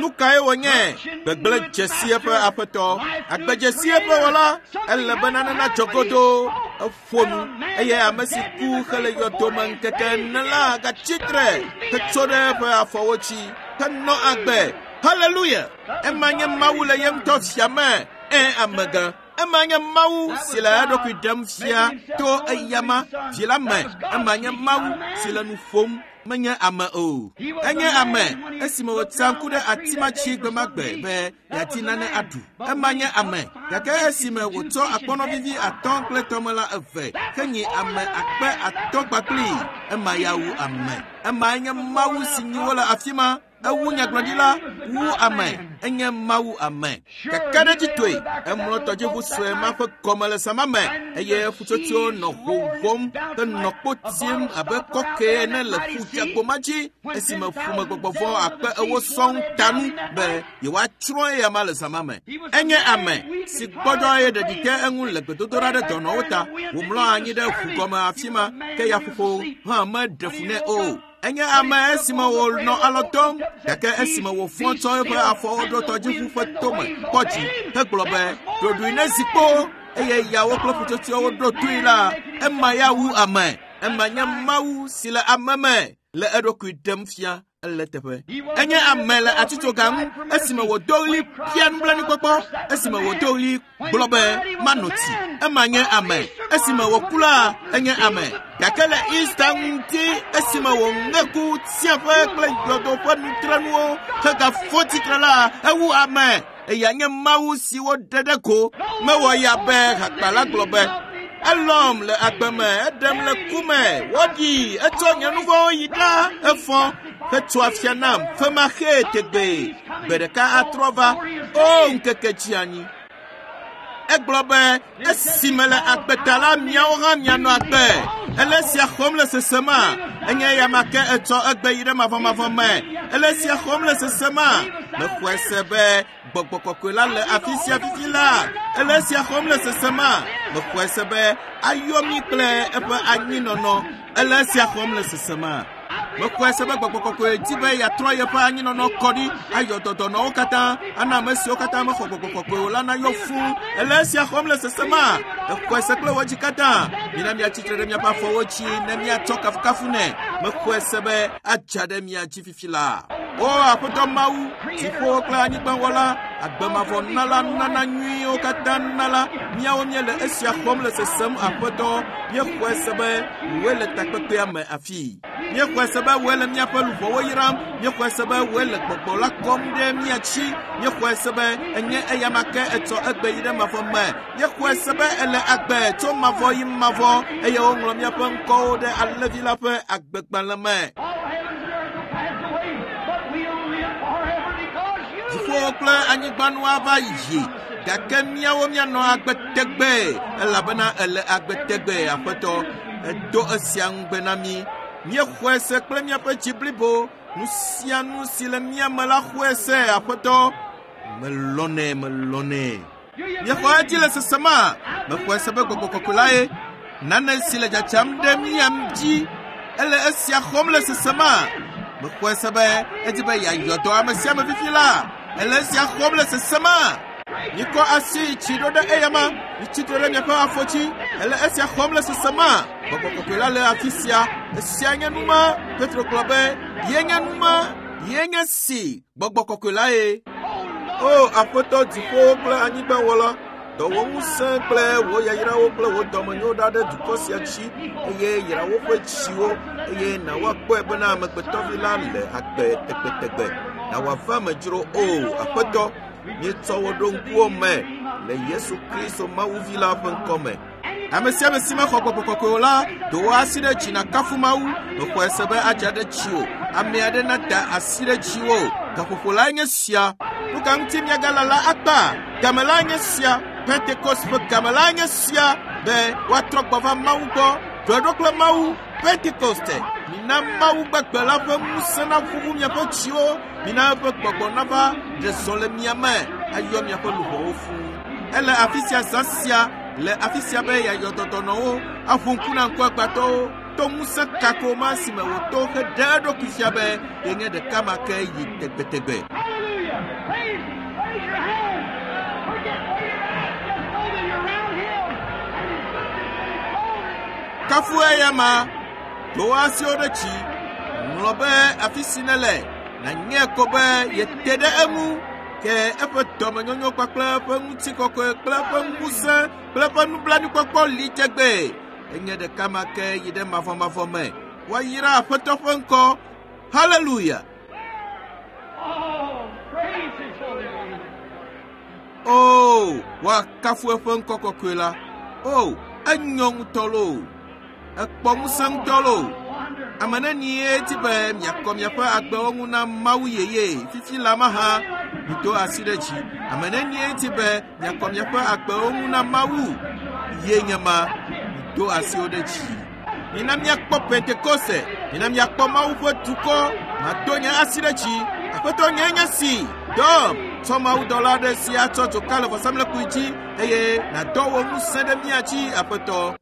Nu kae wònye? Gbegblẽ dzesi eƒe aƒetɔ, agbedzesi eƒe wɔla. Ele be nane nadzɔ godoo. Eƒo nu eye ame si ku hele yɔdo me ŋkeke ene la gatsi tre hetso ɖe eƒe afɔwo dzi henɔ agbe. Haleluya! Ema nye Mawu le ye ŋutɔ fia me. Ẽ, amegã. Ema nye Mawu si le eɖokui ɖem fia to eyama vi la me. Ema nye Mawu si le nu ƒom. Menye ame o. Enye ame esime wòtsa ŋku ɖe ati ma dzi gbe ma gbe be yeadi nane aɖu. Ema nye ame. Gake esime wòtsɔ akpɔnɔ vivi atɔ̃ kple tɔmelã eve henyi ame akpe atɔ̃ kpakpli, ema ya wu ame. Emae nye Mawu si nyi wo le afi ma. Ewu nyagblɔɖila, wu ame. Enye Mawu ame. Kakaɖedzitɔe, emlɔ tɔdziʋu sue ma ƒe gɔme le zã ma me eye ƒutsotsoewo nɔ ʋoʋom henɔ kpo tim abe kɔkɛ ene le ƒu dzeagbo ma dzi esime ƒumegbɔgbɔvɔ akpe ewo sɔŋ ta nu be yewoatsrɔ̃ eya ma le zã ma me. Enye ame si gbɔdzɔ eye ɖeɖi te eŋu le gbedodoɖa ɖe dɔnɔwo ta. Wòmlɔ anyi ɖe ʋu gɔme afi ma ke yaƒoƒo hã meɖe fu nɛ o. Enye ame esime wònɔ alɔ dɔm gake esime wòfɔ tsɔ eƒe afɔwo ɖo tɔdziʋu ƒe tome kpɔ dzi hegblɔ be ɖoɖoe ne zi kpo eye yawo kple ƒutsotsoewo ɖo toe la, ema ya wu ame. Ema nye Mawu si le ame me le eɖokui ɖem fia ele teƒe. Enye ame le atitsoga ŋu esime wòdo ɣli bia nublanuikpɔkpɔ, esime wòdo ɣli gblɔ be manɔ tsi. Ema nye ame. Esime wòku la, enye ame. Gake le Easter ŋuti esime wòŋe ku tsiaƒe kple yɔdo ƒe nutrenuwo hegafɔ tsitre la, ewu ame. Eya nye Mawu si woɖe ɖe go. Mewɔ ya be hakpala gblɔ be elɔm le agbe me, eɖem le ku me, woɖi, etsɔ nye nu vɔ̃wo yi ɖa, efɔ hetso afia nam femaxee tegbee. Gbe ɖeka atrɔ va, o ŋkeke dzi anyi. Egblɔ be esime le agbe ta la, miawo hã mianɔ agbe. Ele esia xɔm le sesema. Enye eya ma ke etsɔ egbe yi ɖe mavɔmavɔ me. Ele esia xɔm le sesema. Mexɔe se be gbɔgbɔ kɔkɔe la le afi sia fifi la. Ele esia xɔm le sesema. Mexɔe se be ayɔ mí kple eƒe anyinɔnɔ. Ele esia xɔm le sesema. Mexɔe se be gbɔgbɔ kɔkɔe di be yeatrɔ yeƒe anyinɔnɔ kɔ ɖi ayɔ dɔdɔnɔwo katã ana ame siwo katã mexɔ gbɔgbɔ kɔkɔe o la nayɔ fũu. Ele esia xɔm le sesema. Exɔe se kple wò dzi katã. Mina miatsitre ɖe miaƒe afɔwo dzi ne miatsɔ kafukafu nɛ. Mexɔe se be adza ɖe mia dzi fifi la. O Aƒetɔ Mawu, dziƒowo kple anyigbawɔla, agbemavɔ nala, nunana nyuiwo katã nala, míawo míele esia xɔm le sesem Aƒetɔ. Míexɔe se be wòe le takpekpea me afii. Míexɔe se be wòe le míaƒe luʋɔwo yram. Míexɔe se be wòe le gbɔgbɔ la kɔm ɖe mía dzi. Míexɔe se be enye eya ma ke etsɔ egbe yi ɖe mavɔ me. Míexɔe se be ele agbe tso mavɔ yi mavɔ eye woŋlɔ míaƒe ŋkɔwo ɖe Alẽvi la ƒe agbegbalẽ me. Dziƒowo kple anyigba nu ava yi gake míawo míanɔ agbe tegbee elabena ele agbe tegbee Aƒetɔ. Edo esia ŋugbe na mí. Míexɔe se kple míaƒe dzi blibo. Nu sia nu si le mía me la xɔe se Aƒetɔ. Melɔnɛ, melɔnɛ. Míexɔ edzi le sesema. Mexɔe se be gbɔgbɔ kɔkɔe la ye. Nane si le dzadzam ɖe mía dzi ele esia xɔm le sesema. Mexɔe se be edi be yeayɔ dɔ ame sia ame fifi la. Ele esia xɔm le sesema. Mikɔ asi tsi ɖo ɖe eya ma. Mitsitre ɖe miaƒe afɔ dzi. Ele esia xɔm le sesema. Gbɔgbɔ kɔkɔe la le afi sia. Esia nye numa. Petro gblɔ be ye nye numa. Ye nye si gbɔgbɔ kɔkɔe la ye. O Aƒetɔ dziƒowo kple anyigbawɔla, dɔ wò ŋusẽ kple wò yayrawo kple wò dɔmenyo ɖa ɖe dukɔ sia dzi eye yra woƒe dziwo eye na woakpɔe bena amegbetɔvi la le agbe tegbetegbe. Na wòava me dzro o Aƒetɔ, míetsɔ wò ɖo ŋkuwò me le Yesu Kristo Mawuvi la ƒe ŋkɔme. Ame sia ame si mexɔ gbɔgbɔ kɔkɔe o la, do wò asi ɖe dzi nàkafu Mawu. Mexɔe se be adza ɖe dziwò. Ame aɖe nada asi ɖe dziwò. Gaƒoƒo lae nye sia. Nu ka ŋuti miagalala akpa? Game lae nye sia. Pentekost ƒe game lae nye sia be woatrɔ gbɔ va Mawu gbɔ. Ɖoe ɖo kple Mawu. Pentekoste. Mina Mawu gbagbe la ƒe ŋusẽ naʋuʋu miaƒe dziwo. Mina eƒe gbɔgbɔ nava ɖe zɔ le mia me ayɔ miaƒe luʋɔwo fũu. Ele afi sia zã sia le afi sia be yeayɔ dɔdɔnɔwo, aʋu ŋku na ŋkuagbãtɔwo to ŋusẽ kako ma si me wòto heɖe eɖokui fia be yenye ɖeka ma ke yi tegbetegbe. Hallelujah! Praise, raise your hand. Forget where you're at. Just know that you're around Him and His goodness and His glory. Kafu eya ma, do wò asiwo ɖe dzi, ŋlɔ be afi si nèle, nànye ko be yete ɖe eŋu. Ke eƒe dɔmenyonyo kpakple eƒe ŋutikɔkɔe kple eƒe ŋusẽ kple eƒe nublanuikpɔkpɔ li tegbee. Enye ɖeka ma ke yi ɖe mavɔmavɔ me. Woayra Aƒetɔ ƒe ŋkɔ. Haleluya! Oh, praise His holy name. O, woakafu eƒe ŋkɔ kɔkɔe la. O, enyɔ ŋutɔ loo. Ekpɔ ŋusẽ ŋutɔ loo. Wonder. Ame nenie di be miakɔ miaƒe agbewo ŋu na Mawu yeye fifi la mahã. Mito asi ɖe dzi. Ame nenie di be miakɔ miaƒe agbewo ŋu na Mawu? Ye nye ma. Mito asiwo ɖe dzi. Mina miakpɔ Pentekoste. Mina miakpɔ Mawu ƒe dukɔ. Mato nye asi ɖe dzi. Aƒetɔ nye nye si. Dɔm. Tsɔ mawudɔla aɖe si atsɔ dzoka le vɔsamlekpui dzi eye nàdɔ wò ŋusẽ ɖe mía dzi, Aƒetɔ.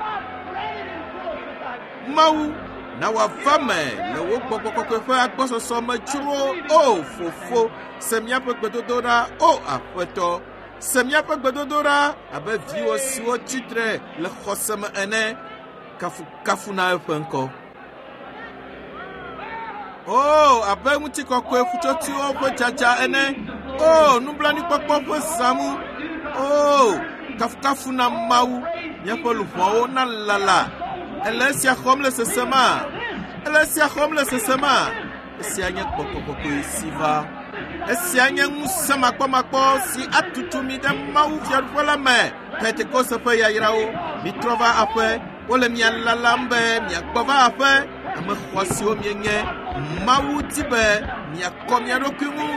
Mawu, na wòava me le wò gbɔgbɔ kɔkɔe ƒe agbɔsɔsɔ me dzro. O Fofo, se míaƒe gbedodoɖa. O Aƒetɔ, se míaƒe gbedodoɖa abe viwò siwo tsitre le xɔse me ene. Kafukafu na eƒe ŋkɔ. O, abe ŋutikɔkɔe ƒutsotsoewo ƒe dzadza ene. O, nublanuikpɔkpɔ ƒe zãmu. O, kafukafu na Mawu. Míaƒe luʋɔwo nalala. Ele esia xɔm le sesema. Ele esia xɔm le sesema. Esia nye gbɔgbɔ kɔkɔe si va. Esia nye ŋusẽ makpɔmakpɔ si atutu mi ɖe Mawu fiaɖuƒe la me. Pentekoste ƒe yayrawo. Mitrɔ va aƒe. Wole mia lalam be miagbɔ va aƒe. Ame xɔasiwo mienye. Mawu di be miakɔ mia ɖokui ŋu.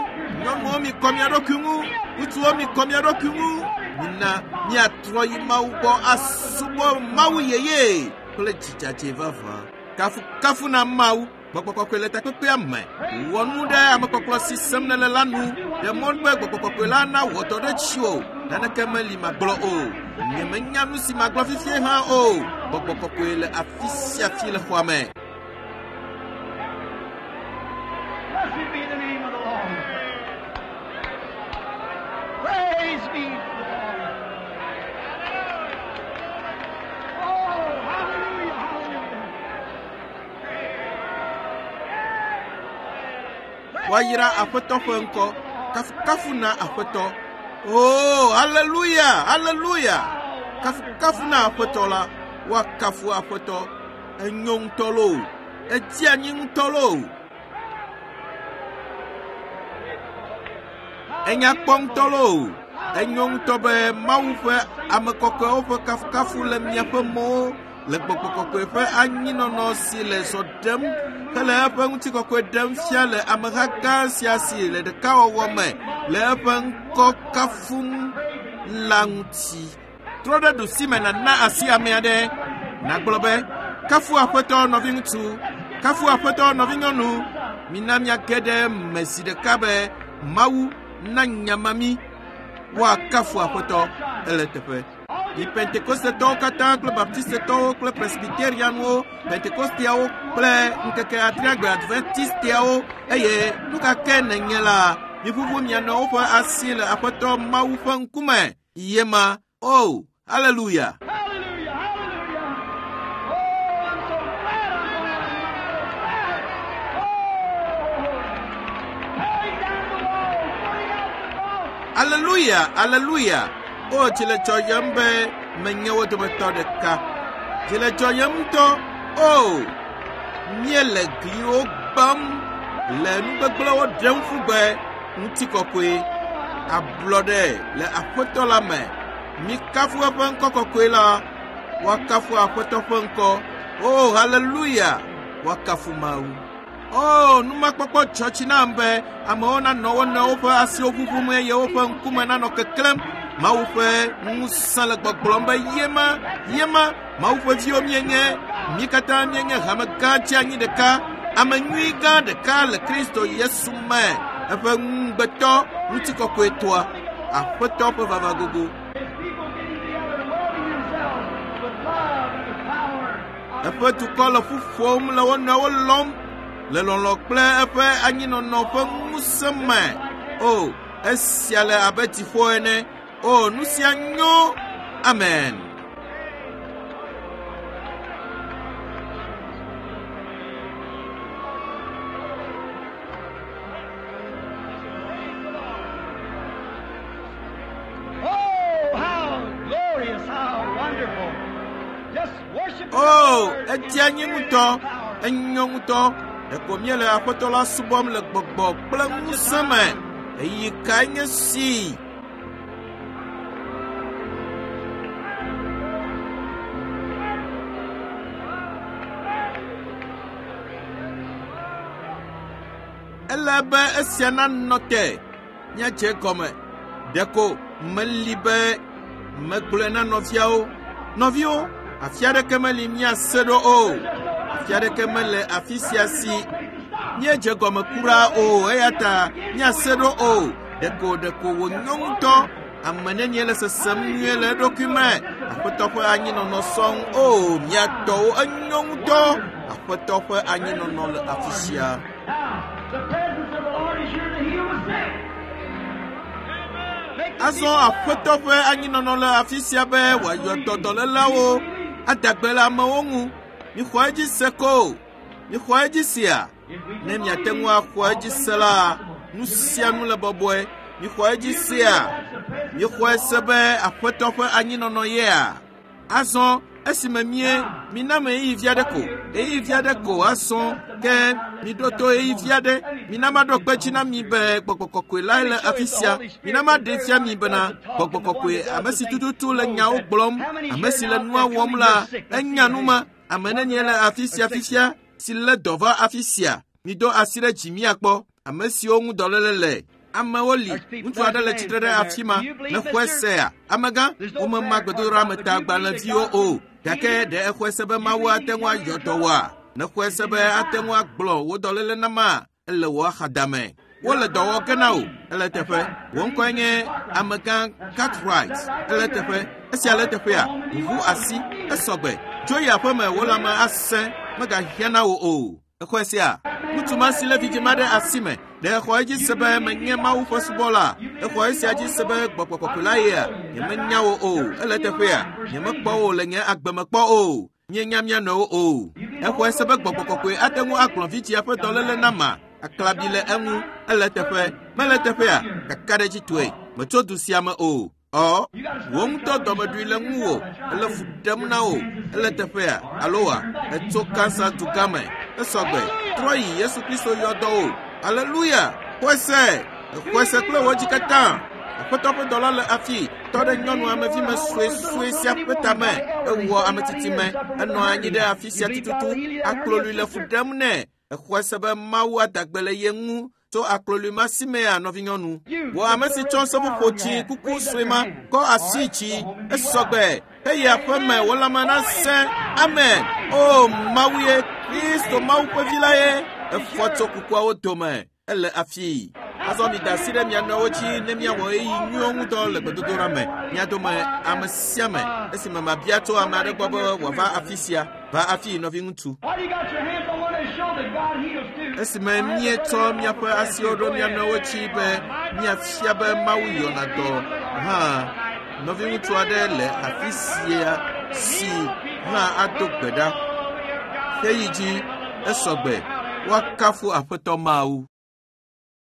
Nyɔnuwo mikɔ mia ɖokui ŋu. Ŋutsuwo mikɔ mia ɖokui ŋu. Mina miatrɔ yi Mawu gbɔ asubɔ Mawu yeye kple dzidzadze vavã. Kafukafu na Mawu. Gbɔgbɔ kɔkɔe le takpekpea me. Wɔ nu ɖe amekpɔkplɔ si sem nèle la nu. Ɖe mɔ be gbɔgbɔ kɔkɔe la nawɔ dɔ ɖe dziwò. Naneke meli magblɔ o. Nyemenya nu si magblɔ fifie hã o. Gbɔgbɔ kɔkɔe le afi sia afi le xɔa me. Blessed be the name of the Lord. Praise be to the Lord. Oh, hallelujah, hallelujah. Woayra Aƒetɔ ƒe ŋkɔ. Kafukafu na Aƒetɔ. Oh, hallelujah, hallelujah. Kafukafu na Aƒetɔ la. Woakafu Aƒetɔ. Enyo ŋutɔ loo. Edzi anyi ŋutɔ loo. Enya kpɔ ŋutɔ loo. Enyo ŋutɔ be Mawu ƒe ame kɔkɔewo ƒe kafukafu le miaƒe mɔwo le gbɔgbɔ kɔkɔe ƒe anyinɔnɔ si le zɔ ɖem hele eƒe ŋutikɔkɔe ɖem fia le ameha gã sia si le ɖekawɔwɔ me le eƒe ŋkɔ kafum la ŋuti. Trɔ ɖe ɖusime nàna asi ame aɖe. Nàgblɔ be, kafu Aƒetɔ nɔviŋutsu, kafu Aƒetɔ nɔvinyɔnu. Mina miage ɖe me zi ɖeka be Mawu na nyama mi. Woakafu Aƒetɔ ele teƒe. Yi Pentekostetɔwo katã kple Baptistetɔwo kple Presbyterianwo, Pentekosteawo kple ŋkeke adreagbe Adventisteawo eye nu ka ke nènye la, miʋuʋu mia nɔewo ƒe asi le Aƒetɔ Mawu ƒe ŋkume. Yema. Oh, hallelujah. Hallelujah, hallelujah. Oh, I'm so glad I'm going. I'm so glad. Oh, tearing down the wall, putting out the cross. Hallelujah, hallelujah. O, dzi le dzɔyem be menye wo dometɔ ɖeka. Dzi le dzɔyem ŋutɔ. O, míele gliwo gbãm le nugbegblẽwo ɖem ƒu gbe. Ŋutikɔkɔe, ablɔɖe le Aƒetɔ la me. Mikafu eƒe ŋkɔ kɔkɔe la. Woakafu Aƒetɔ ƒe ŋkɔ. O, hallelujah. Woakafu Mawu. O, numakpɔkpɔ dzɔ dzi nam be amewo nanɔ wo nɔewo ƒe asiwo ʋuʋum eye woƒe ŋkume nanɔ keklẽm. Mawu ƒe ŋusẽ le gbɔgblɔm be yema, yema, Mawu ƒe viwo míenye. Mí katã míenye hame gã dzeanyi ɖeka, ame nyui gã ɖeka le Kristo Yesu me. Eƒe ŋugbetɔ ŋutikɔkɔetɔa, Aƒetɔ ƒe vava gogo. His people getting together and welding themselves with love and with power. Eƒe dukɔ le ƒu ƒom le wo nɔewo lɔm le lɔlɔ̃ kple eƒe anyinɔnɔ ƒe ŋusẽ me. O, esia le abe dziƒo ene. O, nu sia nyo. Amen. Oh, how glorious, how wonderful. Just worship the O, Lord edzi anyi in ŋutɔ. spirit and power. Enyo ŋutɔ. Ɖeko míele Aƒetɔ la subɔm le gbɔgbɔ kple ŋusẽ me. Ɣeyiɣi kae nye si? Ele be esia nanɔ te. Míadze gɔme. Ɖeko meli be megblɔe na nɔviawo. Nɔviwo, afi aɖeke meli míase ɖo o. Afi aɖeke mele afi sia si míedze gɔme kura o eya ta míase ɖo o. Ɖeko ɖeko wònyo ŋutɔ. Ame nenie le sesem nyuie le eɖokui me. Aƒetɔ ƒe anyinɔnɔ sɔŋ o mía tɔwo enyo ŋutɔ. Aƒetɔ ƒe anyinɔnɔ le afi sia. Azɔ aƒetɔ ƒe anyinɔnɔ le afi sia be wòayɔ dɔ dɔlélawo ada gbe le amewo ŋu. Mixɔ edzi se ko. Mixɔ edzi sia. Ne miate ŋu axɔ edzi se la, nu sia nu le bɔbɔe. Mixɔ edzi sia. Mixɔe se be aƒetɔ ƒe anyinɔnɔ yea. Azɔ esime mie mina me ɣeyiɣi vi aɖe ko, ɣeyiɣi vi aɖe ko azɔ ke miɖo to ɣeyiɣi vi aɖe. Mina maɖo kpe dzi na mi be gbɔgbɔ kɔkɔe lae le afi sia. Mina maɖe fia mi bena gbɔgbɔ kɔkɔe ame si tututu le nyawo gblɔm, ame si le nua wɔm la, enya nu ma. Ame nenie le afi sia fifia si lé dɔ va afi sia. Mido asi ɖe dzi miakpɔ ame siwo ŋu dɔléle le. Amewo li. Ŋutsu aɖe le tsitre ɖe afi ma. Nexɔe sea. Amegã, womema gbedodoɖa o. Gake ɖe exɔe se be Mawu ate ŋu ayɔ dɔ woa? Nexɔe se be ate ŋu agblɔ wò dɔléle na ma? Ele wò axadame. Wole dɔ wɔ ge na wò. Ele teƒe. Wò ŋkɔe nye amegã Cartwright. Ele teƒe. Esia le teƒea. Ʋuʋu asi. Esɔgbe. Tso yi aƒeme wò lãme asẽ. Megahiã na wò o. Exɔe sia. Ŋutsu ma si lé vidzĩ ma ɖe asi me. Ɖe exɔ edzi se be menye Mawu ƒe subɔla. Exɔ esia dzi se be gbɔgbɔ kɔkɔe la yea. Nyemenya wò o. Ele teƒea. Nyemekpɔ wò le nye agbe me kpɔ o. Míenya mía nɔewo o. Exɔe se be gbɔgbɔ kɔkɔe ate ŋu agblɔ vidzĩa ƒe dɔléle na ma. Aklabi le eŋu. Ele teƒe. Mele teƒea. Kakaɖedzitɔe. Metso du sia me o. Ɔ, wò ŋutɔ dɔmeɖui le ŋuwò. Ele fu ɖem na wò. Ele teƒea. Alo wa, etso Kansa dugã me. Esɔgbe. Trɔ yi Yesu Kristo yɔ dɔ wò. Aleluya. Xɔe se. Xɔe se kple wò dzi katã. Aƒetɔ ƒe dɔla le afi. Tɔ ɖe nyɔnu amevime suesue sia ƒe tame. Ewɔ ametsitsi me. Enɔ anyi ɖe afi sia tututu. Aklolui le fu ɖem nɛ. Exɔe se be Mawu ada gbe le ye ŋu tso aklolui ma si mea nɔvinyɔnu. Wò ame si tsɔ seƒoƒo tsi kuku sue ma kɔ asi tsi esɔgbe eye aƒeme wò lãme nasẽ. Amen. O Mawu ye, Kristo Mawu ƒe vi la ye. Efɔ tso kukuawo dome. Ele afi. Azɔ mida asi ɖe mia nɔewo dzi ne miawɔ ɣeyiɣi nyuiwo ŋudɔ le gbedodoɖa me. Mia dome ame sia ame esime mabia tso ame aɖe gbɔ be wòava afi sia. Va afi nɔviŋutsu. Esime míetsɔ míaƒe asiwo ɖo mía nɔewo dzi be míafia be Mawu yɔna dɔ hã, nɔviŋutsu aɖe le afi sia si hã ado gbe ɖa. Xeyi dzi esɔgbe. Woakafu Aƒetɔ Mawu.